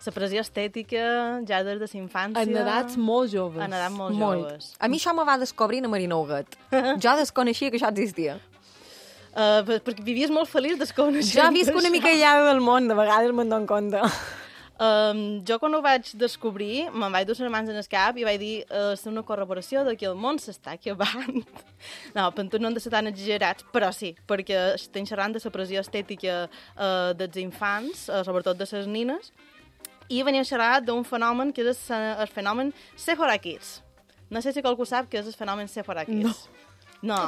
La pressió estètica, ja des de la infància... En edats molt joves. En edats molt, Molt. joves. A mi això me va descobrir a Marina Huguet. Jo desconeixia que això existia. Uh, perquè vivies molt feliç desconeixent. Jo visc una mica aïllada del món, de vegades me'n dono compte. Um, jo quan ho vaig descobrir me'n vaig dur les mans en el cap i vaig dir uh, és una corroboració de que el món s'està acabant. No, per tot no han de ser tan exagerats, però sí, perquè estem xerrant de la pressió estètica uh, dels infants, uh, sobretot de les nines, i venim a xerrar d'un fenomen que és el, el fenomen Sephora Kids. No sé si qualcú sap què és el fenomen Sephora Kids. No. No.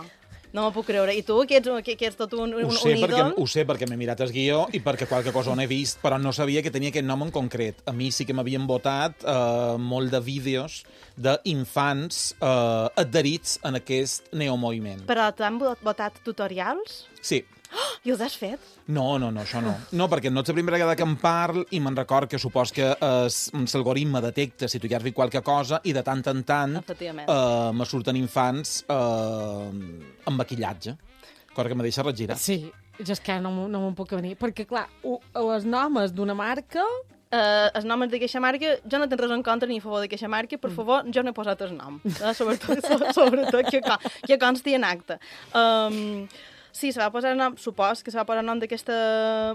No m'ho puc creure. I tu, que ets, que, que ets tot un, un, Ho sé, un perquè, ídol... ho sé perquè m'he mirat el guió i perquè qualque cosa on he vist, però no sabia que tenia aquest nom en concret. A mi sí que m'havien votat eh, molt de vídeos d'infants eh, adherits en aquest neomoviment. Però t'han votat tutorials? Sí. Oh, I els has fet? No, no, no, això no. No, perquè no ets la primera vegada que em parl i me'n record que supos que l'algoritme detecta si tu ja has vist qualque cosa i de tant en tant Efectivament. eh, me surten infants eh, amb maquillatge. Cosa que me deixa regirar. Sí, jo és que no, m'ho- no me'n puc venir. Perquè, clar, u- les nomes d'una marca Uh, el nom és d'aquesta marca, jo no tinc res en contra ni a favor d'aquesta marca, per favor, jo no he posat el nom, eh? sobretot, sobretot que, que consti en acte. Um, sí, se va posar nom, supos que se va posar nom d'aquesta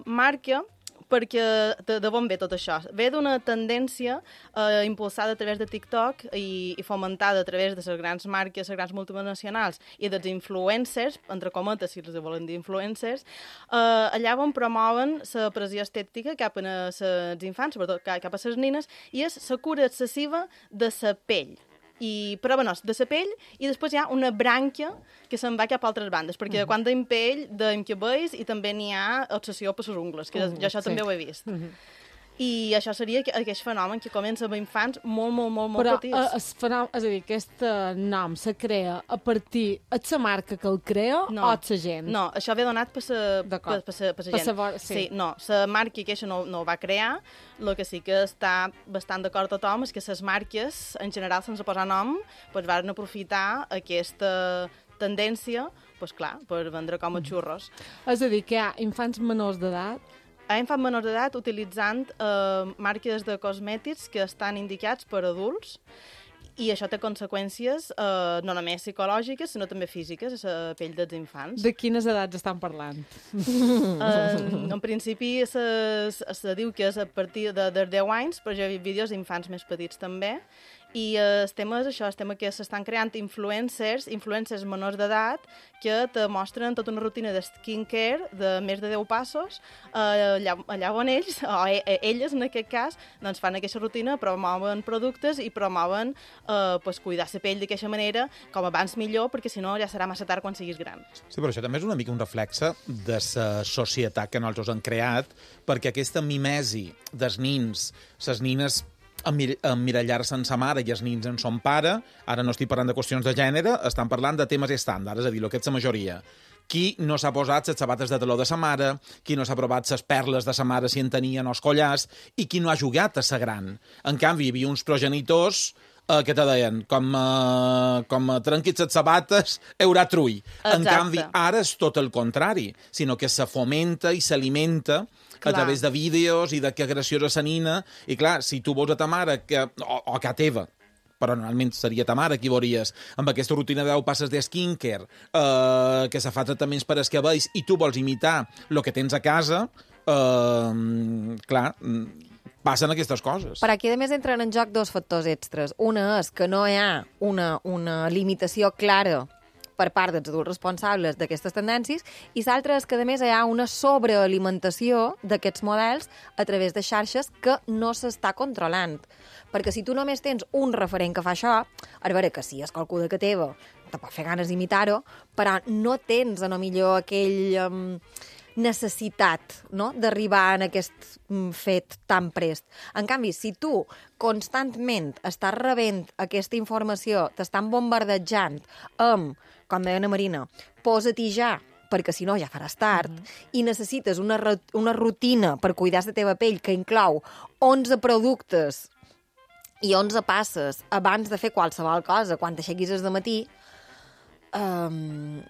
marca, perquè de, de on ve tot això? Ve d'una tendència eh, impulsada a través de TikTok i, i fomentada a través de les grans marques, les grans multinacionals i dels influencers, entre cometes, si els volen dir influencers, eh, allà on promouen la pressió estètica cap a els infants, sobretot cap a les nines, i és la cura excessiva de la pell. I, però bueno, de la pell, i després hi ha una brànquia que se'n va cap a altres bandes, perquè mm-hmm. quan deim pell, deim cabells, i també n'hi ha obsessió per les ungles, que mm-hmm. jo això sí. també ho he vist. Mm-hmm. I això seria aquest fenomen que comença amb infants molt, molt, molt, molt però, petits. Però, és, fenomen, és a dir, aquest nom se crea a partir... És la marca que el crea no. o és la gent? No, això ve donat per la per, per, per, per gent. Saber, sí. sí, no, la marca que això no, no ho va crear, el que sí que està bastant d'acord tothom és que les marques, en general, sense posar nom, doncs van aprofitar aquesta tendència, doncs clar, per vendre com a xurros. És a dir, que hi ha infants menors d'edat a infants menors d'edat utilitzant eh, marques de cosmètics que estan indicats per adults i això té conseqüències eh, no només psicològiques, sinó també físiques a la pell dels infants. De quines edats estan parlant? Eh, en principi se, se diu que és a partir de, de deu anys, però jo he vist vídeos d'infants més petits també. I el tema és això, el tema que s'estan creant influencers, influencers menors d'edat, que te mostren tota una rutina de skincare de més de deu passos, eh, allà, allà on ells, o elles en aquest cas, doncs fan aquesta rutina, promouen productes i promouen eh, pues, cuidar la pell d'aquesta manera, com abans millor, perquè si no ja serà massa tard quan siguis gran. Sí, però això també és una mica un reflexe de la societat que nosaltres han creat, perquè aquesta mimesi dels nins, les nines emmirallar-se en sa mare i els nins en son pare, ara no estic parlant de qüestions de gènere, estan parlant de temes estàndards, és a dir, el que és la majoria. Qui no s'ha posat les sabates de taló de sa mare, qui no s'ha provat les perles de sa mare si en tenien els collars, i qui no ha jugat a sa gran. En canvi, hi havia uns progenitors eh, que te deien, com, eh, com trenquis les sabates, haurà trull. Exacte. En canvi, ara és tot el contrari, sinó que se fomenta i s'alimenta a través de vídeos i de que graciosa sa nina. I clar, si tu vols a ta mare, que, o, o que a teva, però normalment seria ta mare qui veuries, amb aquesta rutina de deu passes de skincare, eh, que se fa tractaments per als cabells, i tu vols imitar el que tens a casa, eh, clar, passen aquestes coses. Per aquí, a més, entren en joc dos factors extras. Una és que no hi ha una, una limitació clara per part dels adults responsables d'aquestes tendències, i l'altra és que, a més, hi ha una sobrealimentació d'aquests models a través de xarxes que no s'està controlant. Perquè si tu només tens un referent que fa això, a veure que sí, és qualcú de que teva, te pot fer ganes d'imitar-ho, però no tens, a no millor, aquell... Um, necessitat, no?, d'arribar en aquest fet tan prest. En canvi, si tu constantment estàs rebent aquesta informació, t'estan bombardejant amb, com deia Ana Marina, posa-t'hi ja, perquè si no ja faràs tard, mm-hmm. i necessites una, una rutina per cuidar la teva pell que inclou onze productes i onze passes abans de fer qualsevol cosa, quan t'aixequis de matí, um,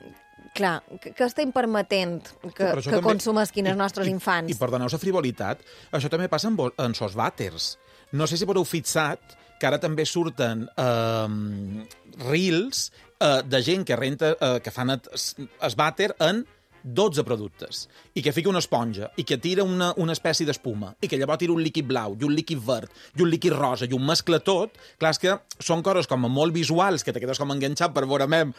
clar, que, que estem permetent que, sí, que consumesquin els nostres i, infants. I, i perdoneu la frivolitat, això també passa en, en sos vàters. No sé si haureu fixat que ara també surten eh, reels eh, de gent que renta, eh, que fan es vàter en dotze productes, i que fica una esponja, i que tira una, una espècie d'espuma, i que llavors tira un líquid blau, i un líquid verd, i un líquid rosa, i un mescla tot. Clar, és que són coses com molt visuals, que te quedes com enganxat per veure mem,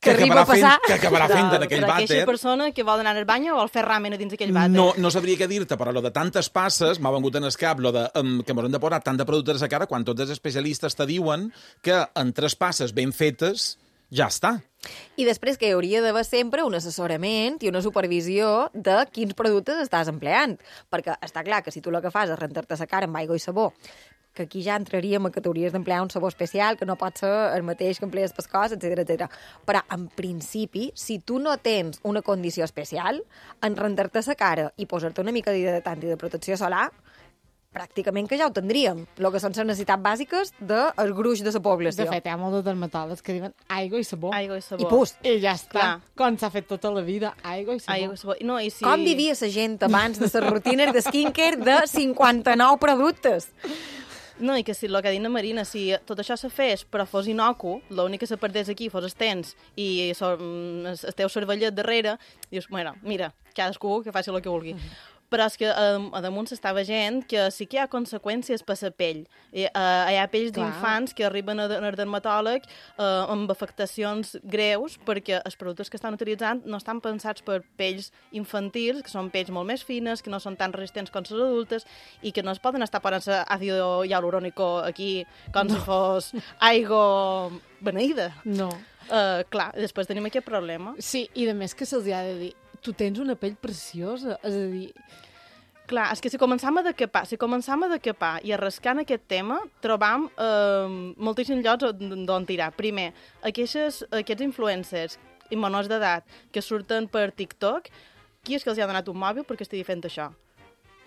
que, que, acabarà fent, que acabarà fent en aquell vàter. Aquella persona que vol anar al bany o vol fer ramen a dins aquell vàter. No, no sabria què dir-te, però lo de tantes passes m'ha vengut en el cap, lo de, um, que m'haurem de posar tant de productes a cara quan tots els especialistes te diuen que en tres passes ben fetes ja està. I després que hi hauria d'haver sempre un assessorament i una supervisió de quins productes estàs empleant. Perquè està clar que si tu el que fas és rentar-te la cara amb aigua i sabó, que aquí ja entraríem a que t'hauries d'emplear un sabó especial, que no pot ser el mateix que emplees per cos, etcètera, etcètera. Però, en principi, si tu no tens una condició especial, en rentar-te la cara i posar-te una mica d'hidratant i de protecció solar, pràcticament que ja ho tindríem. El que són les necessitats bàsiques del gruix de la població. De fet, hi ha molts de dermatòlegs que diuen aigua i sabó. Aigua i sabó. I pus. I ja està. Clar. Com s'ha fet tota la vida, aigua i sabó. Aigua i sabó. No, i si... Com vivia la gent abans de les rutines de skincare de cinquanta-nou productes? No, i que si el que ha dit la Marina, si tot això se fes però fos inocu, l'únic que se perdés aquí fos els tens i so, el teu cervellet darrere, dius, bueno, mira, cadascú que faci el que vulgui. Uh-huh. Però és que a, a damunt s'està veient que sí que hi ha conseqüències per la pell. I, uh, hi ha pells d'infants que arriben al dermatòleg uh, amb afectacions greus perquè els productes que estan utilitzant no estan pensats per pells infantils, que són pells molt més fines, que no són tan resistents com les adultes i que no es poden estar posant àcido hialurònico aquí com no. si fos aigua beneïda. No. Uh, clar, després tenim aquest problema. Sí, i de més que se'ls ha de dir tu tens una pell preciosa, és a dir... Clar, és que si començam a decapar, si començam a decapar i a rascar en aquest tema, trobam eh, moltíssims llocs d'on tirar. Primer, aquests, aquests influencers i menors d'edat que surten per TikTok, qui és que els ha donat un mòbil perquè estigui fent això?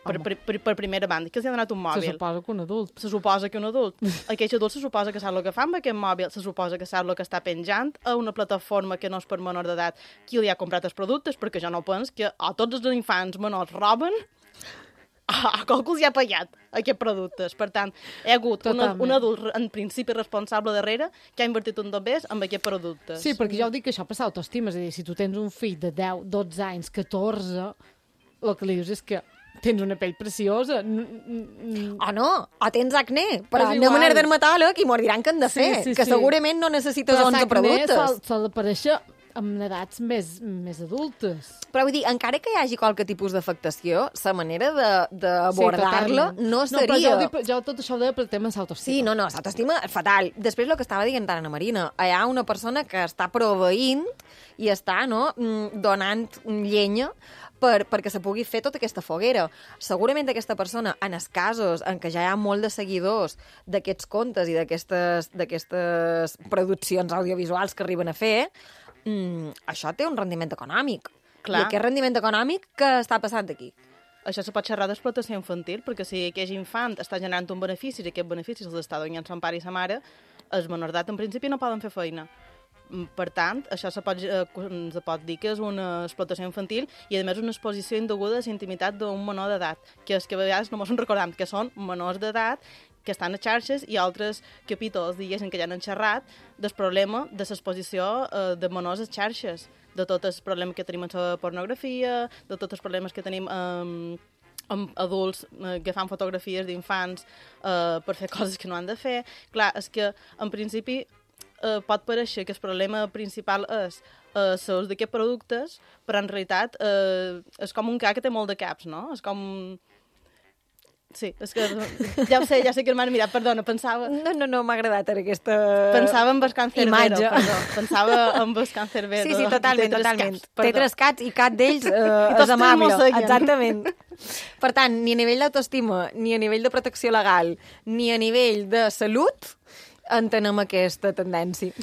Per, per, per, per primera banda, que els ha donat un mòbil. Se suposa que un adult. Se suposa que un adult. Aquest adult se suposa que sap el que fa amb aquest mòbil, se suposa que sap el que està penjant a una plataforma que no és per menor d'edat qui li ha comprat els productes, perquè jo no penso que a tots els infants menors roben, a, a qualcú els hi ha pagat aquests productes. Per tant, hi ha hagut un, un adult en principi responsable darrere que ha invertit un dobbers amb aquests productes. Sí, perquè jo ho dic que això passa autoestima, és a dir, si tu tens un fill de deu, dotze anys, catorze, el que li dius és que tens una pell preciosa. O no, o tens acné, però anem a anar dermatòleg i m'ho diran que han de fer, sí, sí, que sí. segurament no necessites però onze productes. Però s'ha d'aparèixer amb edats més, més adultes. Però vull dir, encara que hi hagi qualque tipus d'afectació, la manera d'abordar-la sí, no seria... No, però jo, dic, jo tot això ho deia per tema d'autoestima. Sí, no, no, l'autoestima és fatal. Després el que estava dient tant Ana Marina, hi ha una persona que està proveint i està no, donant llenya per, perquè se pugui fer tota aquesta foguera. Segurament aquesta persona, en els casos en què ja hi ha molt de seguidors d'aquests contes i d'aquestes produccions audiovisuals que arriben a fer, mm, això té un rendiment econòmic. Clar. I aquest rendiment econòmic, què està passant aquí? Això se pot xerrar d'explotació infantil, perquè si aquest infant està generant un benefici i aquest benefici se'ls està donant son pare i sa mare, els menors d'edat en principi no poden fer feina. Per tant, això se pot, eh, se pot dir que és una explotació infantil i, a més, una exposició indeguda a la intimitat d'un menor d'edat, que és que a vegades no ens en recordem que són menors d'edat que estan a xarxes i altres capítols, diguéssim, que ja han xerrat del problema de l'exposició eh, de menors a xarxes, de tot el problema que tenim amb la pornografia, de tots els problemes que tenim amb, amb adults eh, que fan fotografies d'infants eh, per fer coses que no han de fer. Clar, és que, en principi, eh, pot pareixer que el problema principal és eh, l'ús d'aquests productes, però en realitat eh, és com un ca que té molt de caps, no? És com... Sí, és que ja ho sé, ja sé que m'han mirat, perdona, pensava... No, no, no, m'ha agradat aquesta Pensava en el cancerbero, imatge. perdó. Pensava en el cancerbero. Sí, sí, totalment, totalment. Caps, té tres cats i cap d'ells eh, és amable. Exactament. Per tant, ni a nivell d'autoestima, ni a nivell de protecció legal, ni a nivell de salut, entenem aquesta tendència.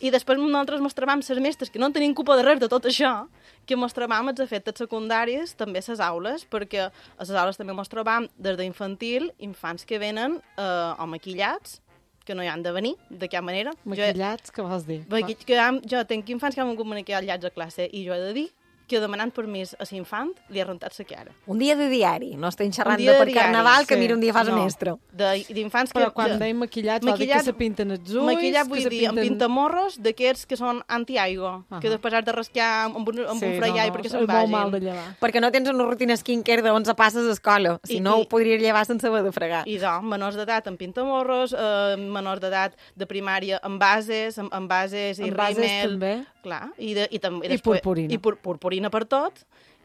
I després nosaltres mos trobam les mestres que no tenim culpa de res de tot això, que mos trobam els efectes secundaris també a les aules, perquè a les aules també mos trobam des d'infantil infants que venen eh, o maquillats, que no hi han de venir, de cap manera. Maquillats, què vols dir? Maqui que hem, jo tinc infants que han vingut maquillats a classe i jo he de dir que demanant permís a l'infant li ha rentat la cara. Un dia de diari, no estem xerrant de per carnaval, que sí. Mira un dia fas no. mestre. D'infants que... Però quan deim maquillats, vol dir que se pinten els ulls... Maquillat vull dir, pinten... amb pintamorros d'aquests que són anti-aigua, uh -huh. que després has de rascar amb un, amb sí, un freiall no, no, perquè se'n vagin. Mal de llevar. Perquè no tens una rutina skincare d'onze passes a escola, si I, no ho podries llevar sense haver de fregar. I doncs, menors d'edat amb pintamorros, eh, menors d'edat de primària amb bases, amb, amb bases i amb bases rímel... també. Clar, i, de, i, tam, i, I després, purpurina. I pur, purpurina per tot,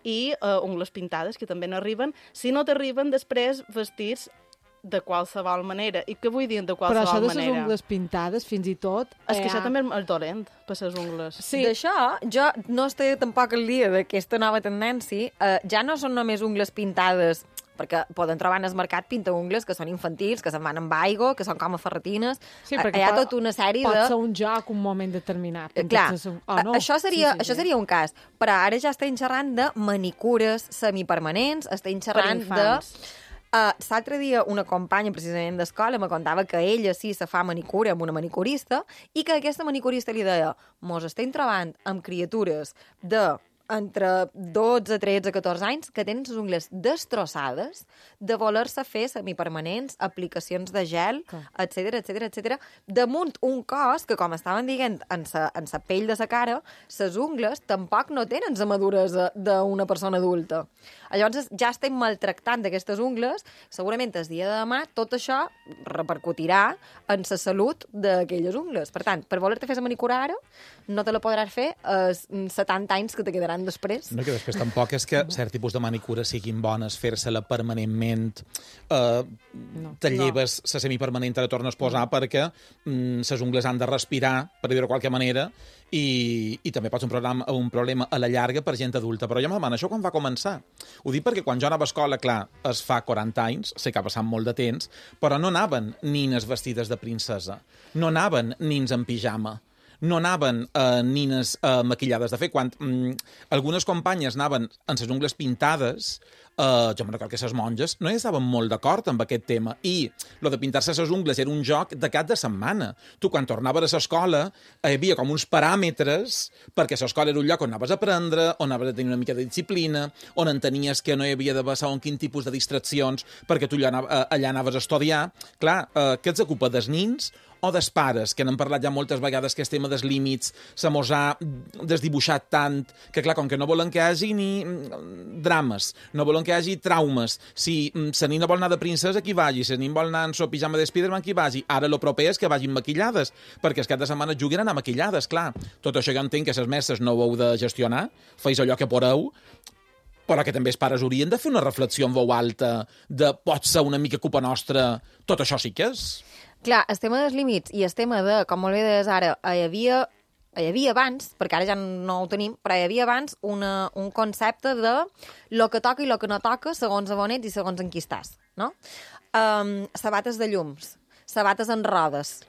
i uh, ungles pintades, que també n'arriben, si no t'arriben després vestits de qualsevol manera. I què vull dir de qualsevol manera? Però això de les manera? ungles pintades, fins i tot... És que eh, això també és dolent, per les ungles. Sí. D'això, jo no estic tampoc al dia d'aquesta nova tendència. Eh, ja no són només ungles pintades, perquè poden trobar en el mercat pintaungles que són infantils, que se'n van amb aigua, que són com a ferretines. Sí, perquè hi ha pot, tota una sèrie pot de... Pot ser un joc, un moment determinat. Eh, clar, oh, no? això, seria, sí, sí, això sí. seria un cas. Però ara ja estem xerrant de manicures semipermanents, estem xerrant de Uh, L'altre dia una companya precisament d'escola me contava que ella sí se fa manicura amb una manicurista i que aquesta manicurista li deia mos estem trobant amb criatures de entre dotze, tretze, catorze anys que tenen les ungles destrossades de voler-se fer semipermanents, aplicacions de gel, etcètera, etcètera, etcètera, damunt un cos que, com estaven dient, en sa, en sa pell de sa cara, ses ungles tampoc no tenen la maduresa d'una persona adulta. Llavors ja estem maltractant d'aquestes ungles, segurament el dia de demà tot això repercutirà en la salut d'aquelles ungles. Per tant, per voler-te fer la manicura ara, no te la podràs fer als setanta anys que te quedaran després. No, que després tampoc és que cert tipus de manicura siguin bones, fer-se-la permanentment, eh, no, te lleves la no. semipermanent, te la tornes a posar no. perquè les mm, ungles han de respirar, per dir-ho de qualque manera, i, i també pot ser un, programa, un problema a la llarga per gent adulta. Però jo me demano, això quan va començar? Ho dic perquè quan jo anava a escola, clar, es fa quaranta anys, sé que ha passat molt de temps, però no anaven nines vestides de princesa, no anaven nins en pijama, no anaven eh, nines eh, maquillades. De fet, quan mm, algunes companyes anaven amb les ungles pintades, eh, jo me'n recordo que les monges no hi estaven molt d'acord amb aquest tema. I lo de pintar-se les ungles era un joc de cap de setmana. Tu, quan tornaves a l'escola, hi havia com uns paràmetres, perquè l'escola era un lloc on anaves a aprendre, on anaves a tenir una mica de disciplina, on entenies que no hi havia de passar un quin tipus de distraccions, perquè tu allà, allà anaves a estudiar. Clar, eh, què ets ocupa dels nins o dels pares, que n'han parlat ja moltes vegades que el tema dels límits se mos ha desdibuixat tant, que clar, com que no volen que hi hagi ni drames, no volen que hi hagi traumes. Si la nina vol anar de princesa, qui vagi, si la nina vol anar en so pijama de Spiderman, qui vagi. Ara lo proper és que vagin maquillades, perquè el cap de setmana juguen a anar maquillades, clar. Tot això jo entenc que les mestres no ho heu de gestionar, feis allò que podeu, però que també els pares haurien de fer una reflexió en veu alta de pot ser una mica culpa nostra, tot això sí que és. Clar, el tema dels límits i el tema de, com molt bé deies ara, hi havia, hi havia abans, perquè ara ja no ho tenim, però hi havia abans una, un concepte de lo que toca i lo que no toca segons on ets i segons en qui estàs, no? Um, sabates de llums, sabates en rodes.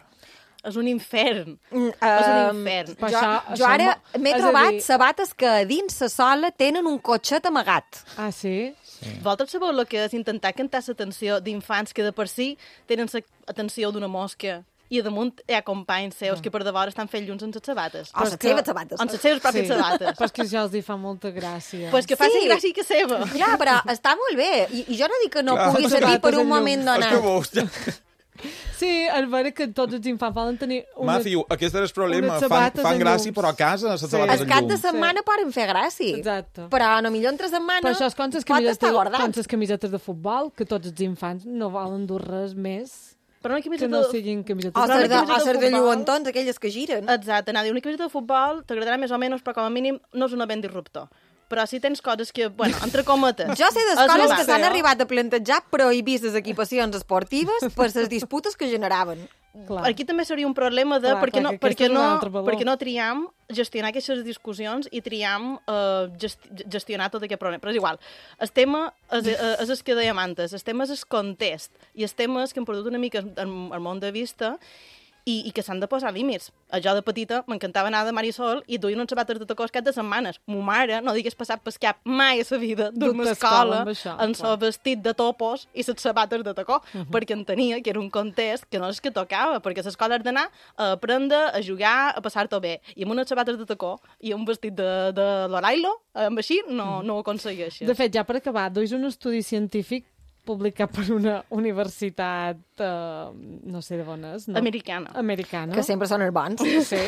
És un infern. Um, és un infern. Jo, això, jo ara m'he trobat dir... sabates que a dins la sola tenen un cotxet amagat. Ah, sí? Sí. Vosaltres sabeu el que és intentar cantar l'atenció d'infants que de per si tenen l'atenció d'una mosca i a damunt hi ha companys seus mm. que per davant estan fent llums en les sabates. O les seves sabates. En les seves pròpies sí. sabates. Però és que ja els hi fa molta gràcia. Pues que faci sí. gràcia que seva. Clar, però està molt bé. I, i jo no dic que no Clar, pugui servir per un moment donat. Sí, és vera que tots els infants volen tenir una... Matthew, aquest és el problema. Fan, fan gràcia, però a casa les sí. sabates en llum. El cap de setmana sí. poden fer gràcia. Exacte. Però no millor entre setmana però això és com pot estar guardat. Com les camisetes de futbol, que tots els infants no volen dur res més però una camiseta que no siguin camisetes o de futbol. O ser de lluentons, aquelles que giren. Exacte, anar a dir una camiseta de futbol t'agradarà més o menys, però com a mínim no és un event disruptor. Però si tens coses que, bueno, entre cometes... Jo sé d'escoles que s'han arribat a plantejar prohibir les equipacions esportives per les disputes que generaven. Clar. Aquí també seria un problema de clar, perquè, no, perquè, no, perquè no triam gestionar aquestes discussions i triam uh, gest, gestionar tot aquest problema. Però és igual. El tema és, és el que dèiem antes. El tema és el context. I el tema és que hem perdut una mica el, el món de vista i, i que s'han de posar límits. A jo de petita m'encantava anar de Marisol i duien uns sabates de tacó cap de setmanes. Mo mare no digués passat per cap mai a sa vida d'una escola en sa vestit de topos i ses sabates de tacó, uh -huh. perquè entenia que era un context que no és que tocava, perquè l'escola has d'anar a aprendre, a jugar, a passar-t'ho bé. I amb unes sabates de tacó i un vestit de, de l'Orailo, amb així, no, uh -huh. no ho aconsegueixes. De fet, ja per acabar, duis un estudi científic publicat per una universitat, uh, no sé de on és, no? Americana. Americana. Que sempre són els bons. Sí.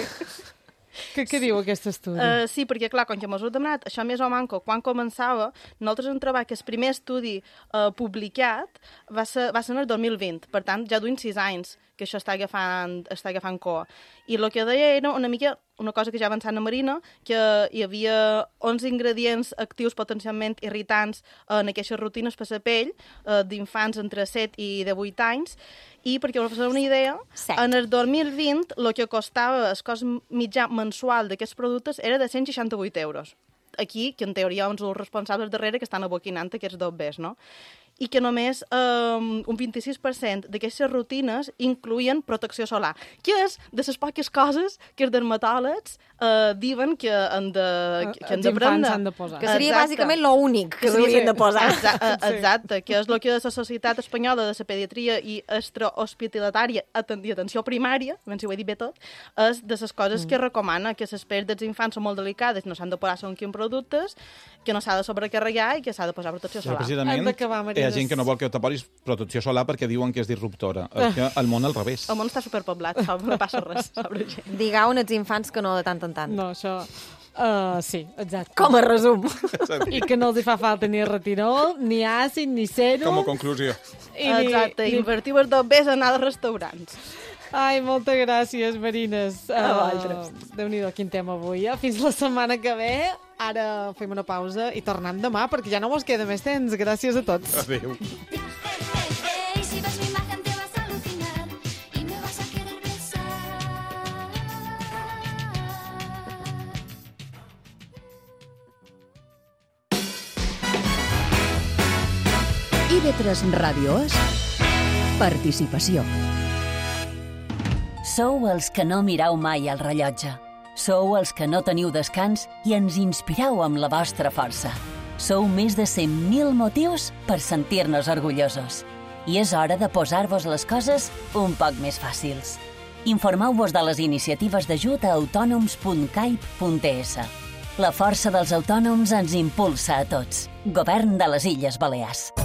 Què, què diu aquest estudi? Uh, sí, perquè, clar, com que m'ho heu demanat, això més o manco, quan començava, nosaltres hem trobat que el primer estudi uh, publicat va ser, va ser en el dos mil vint, per tant, ja duim sis anys que això està agafant, està agafant coa. I el que deia era una mica una cosa que ja avançant a Marina, que hi havia onze ingredients actius potencialment irritants en aquestes rutines per la pell uh, d'infants entre set i de vuit anys, i perquè us feu una idea, set. En el dos mil vint el que costava el cost mitjà mensual d'aquests productes era de cent seixanta-vuit euros. Aquí, que en teoria uns els responsables darrere que estan aboquinant aquests dobbers, no? i que només eh, un vint-i-sis per cent d'aquestes rutines incluïen protecció solar, que és de les poques coses que els dermatòlegs eh, diuen que han de, que, que han Els de prendre. infants han de posar. Que seria bàsicament l'únic que s'haurien de posar. Exacte, exacte, que és el que la Societat Espanyola de la Pediatria i Extrahospitalatària i Atenció Primària, ben si ho he dit bé tot, és de les coses que recomana, que les pells dels infants són molt delicades, no s'han de posar segons quins productes, que no s'ha de sobrecarregar i que s'ha de posar protecció solar. Precisament, hi ha gent que no vol que te posis protecció solar perquè diuen que és disruptora. És que el món al revés. El món està superpoblat, no passa res sobre gent. Digueu als infants que no de tant en tant. No, això... Uh, sí, exacte. Com a resum. I que no els hi fa falta ni retinol, ni àcid, ni sèrum. Com a conclusió. I exacte, ni... invertiu els dos bes a anar als restaurants. Ai, moltes gràcies, Marines. A vosaltres. Uh, Déu-n'hi-do, quin tema avui. Eh? Fins la setmana que ve. Ara fem una pausa i tornem demà, perquè ja no mos queda més temps. Gràcies a tots. Adéu. I V tres Ràdio és participació. Sou els que no mireu mai el rellotge. Sou els que no teniu descans i ens inspireu amb la vostra força. Sou més de cent mil motius per sentir-nos orgullosos. I és hora de posar-vos les coses un poc més fàcils. Informeu-vos de les iniciatives d'ajut a autònoms punt caip punt es. La força dels autònoms ens impulsa a tots. Govern de les Illes Balears.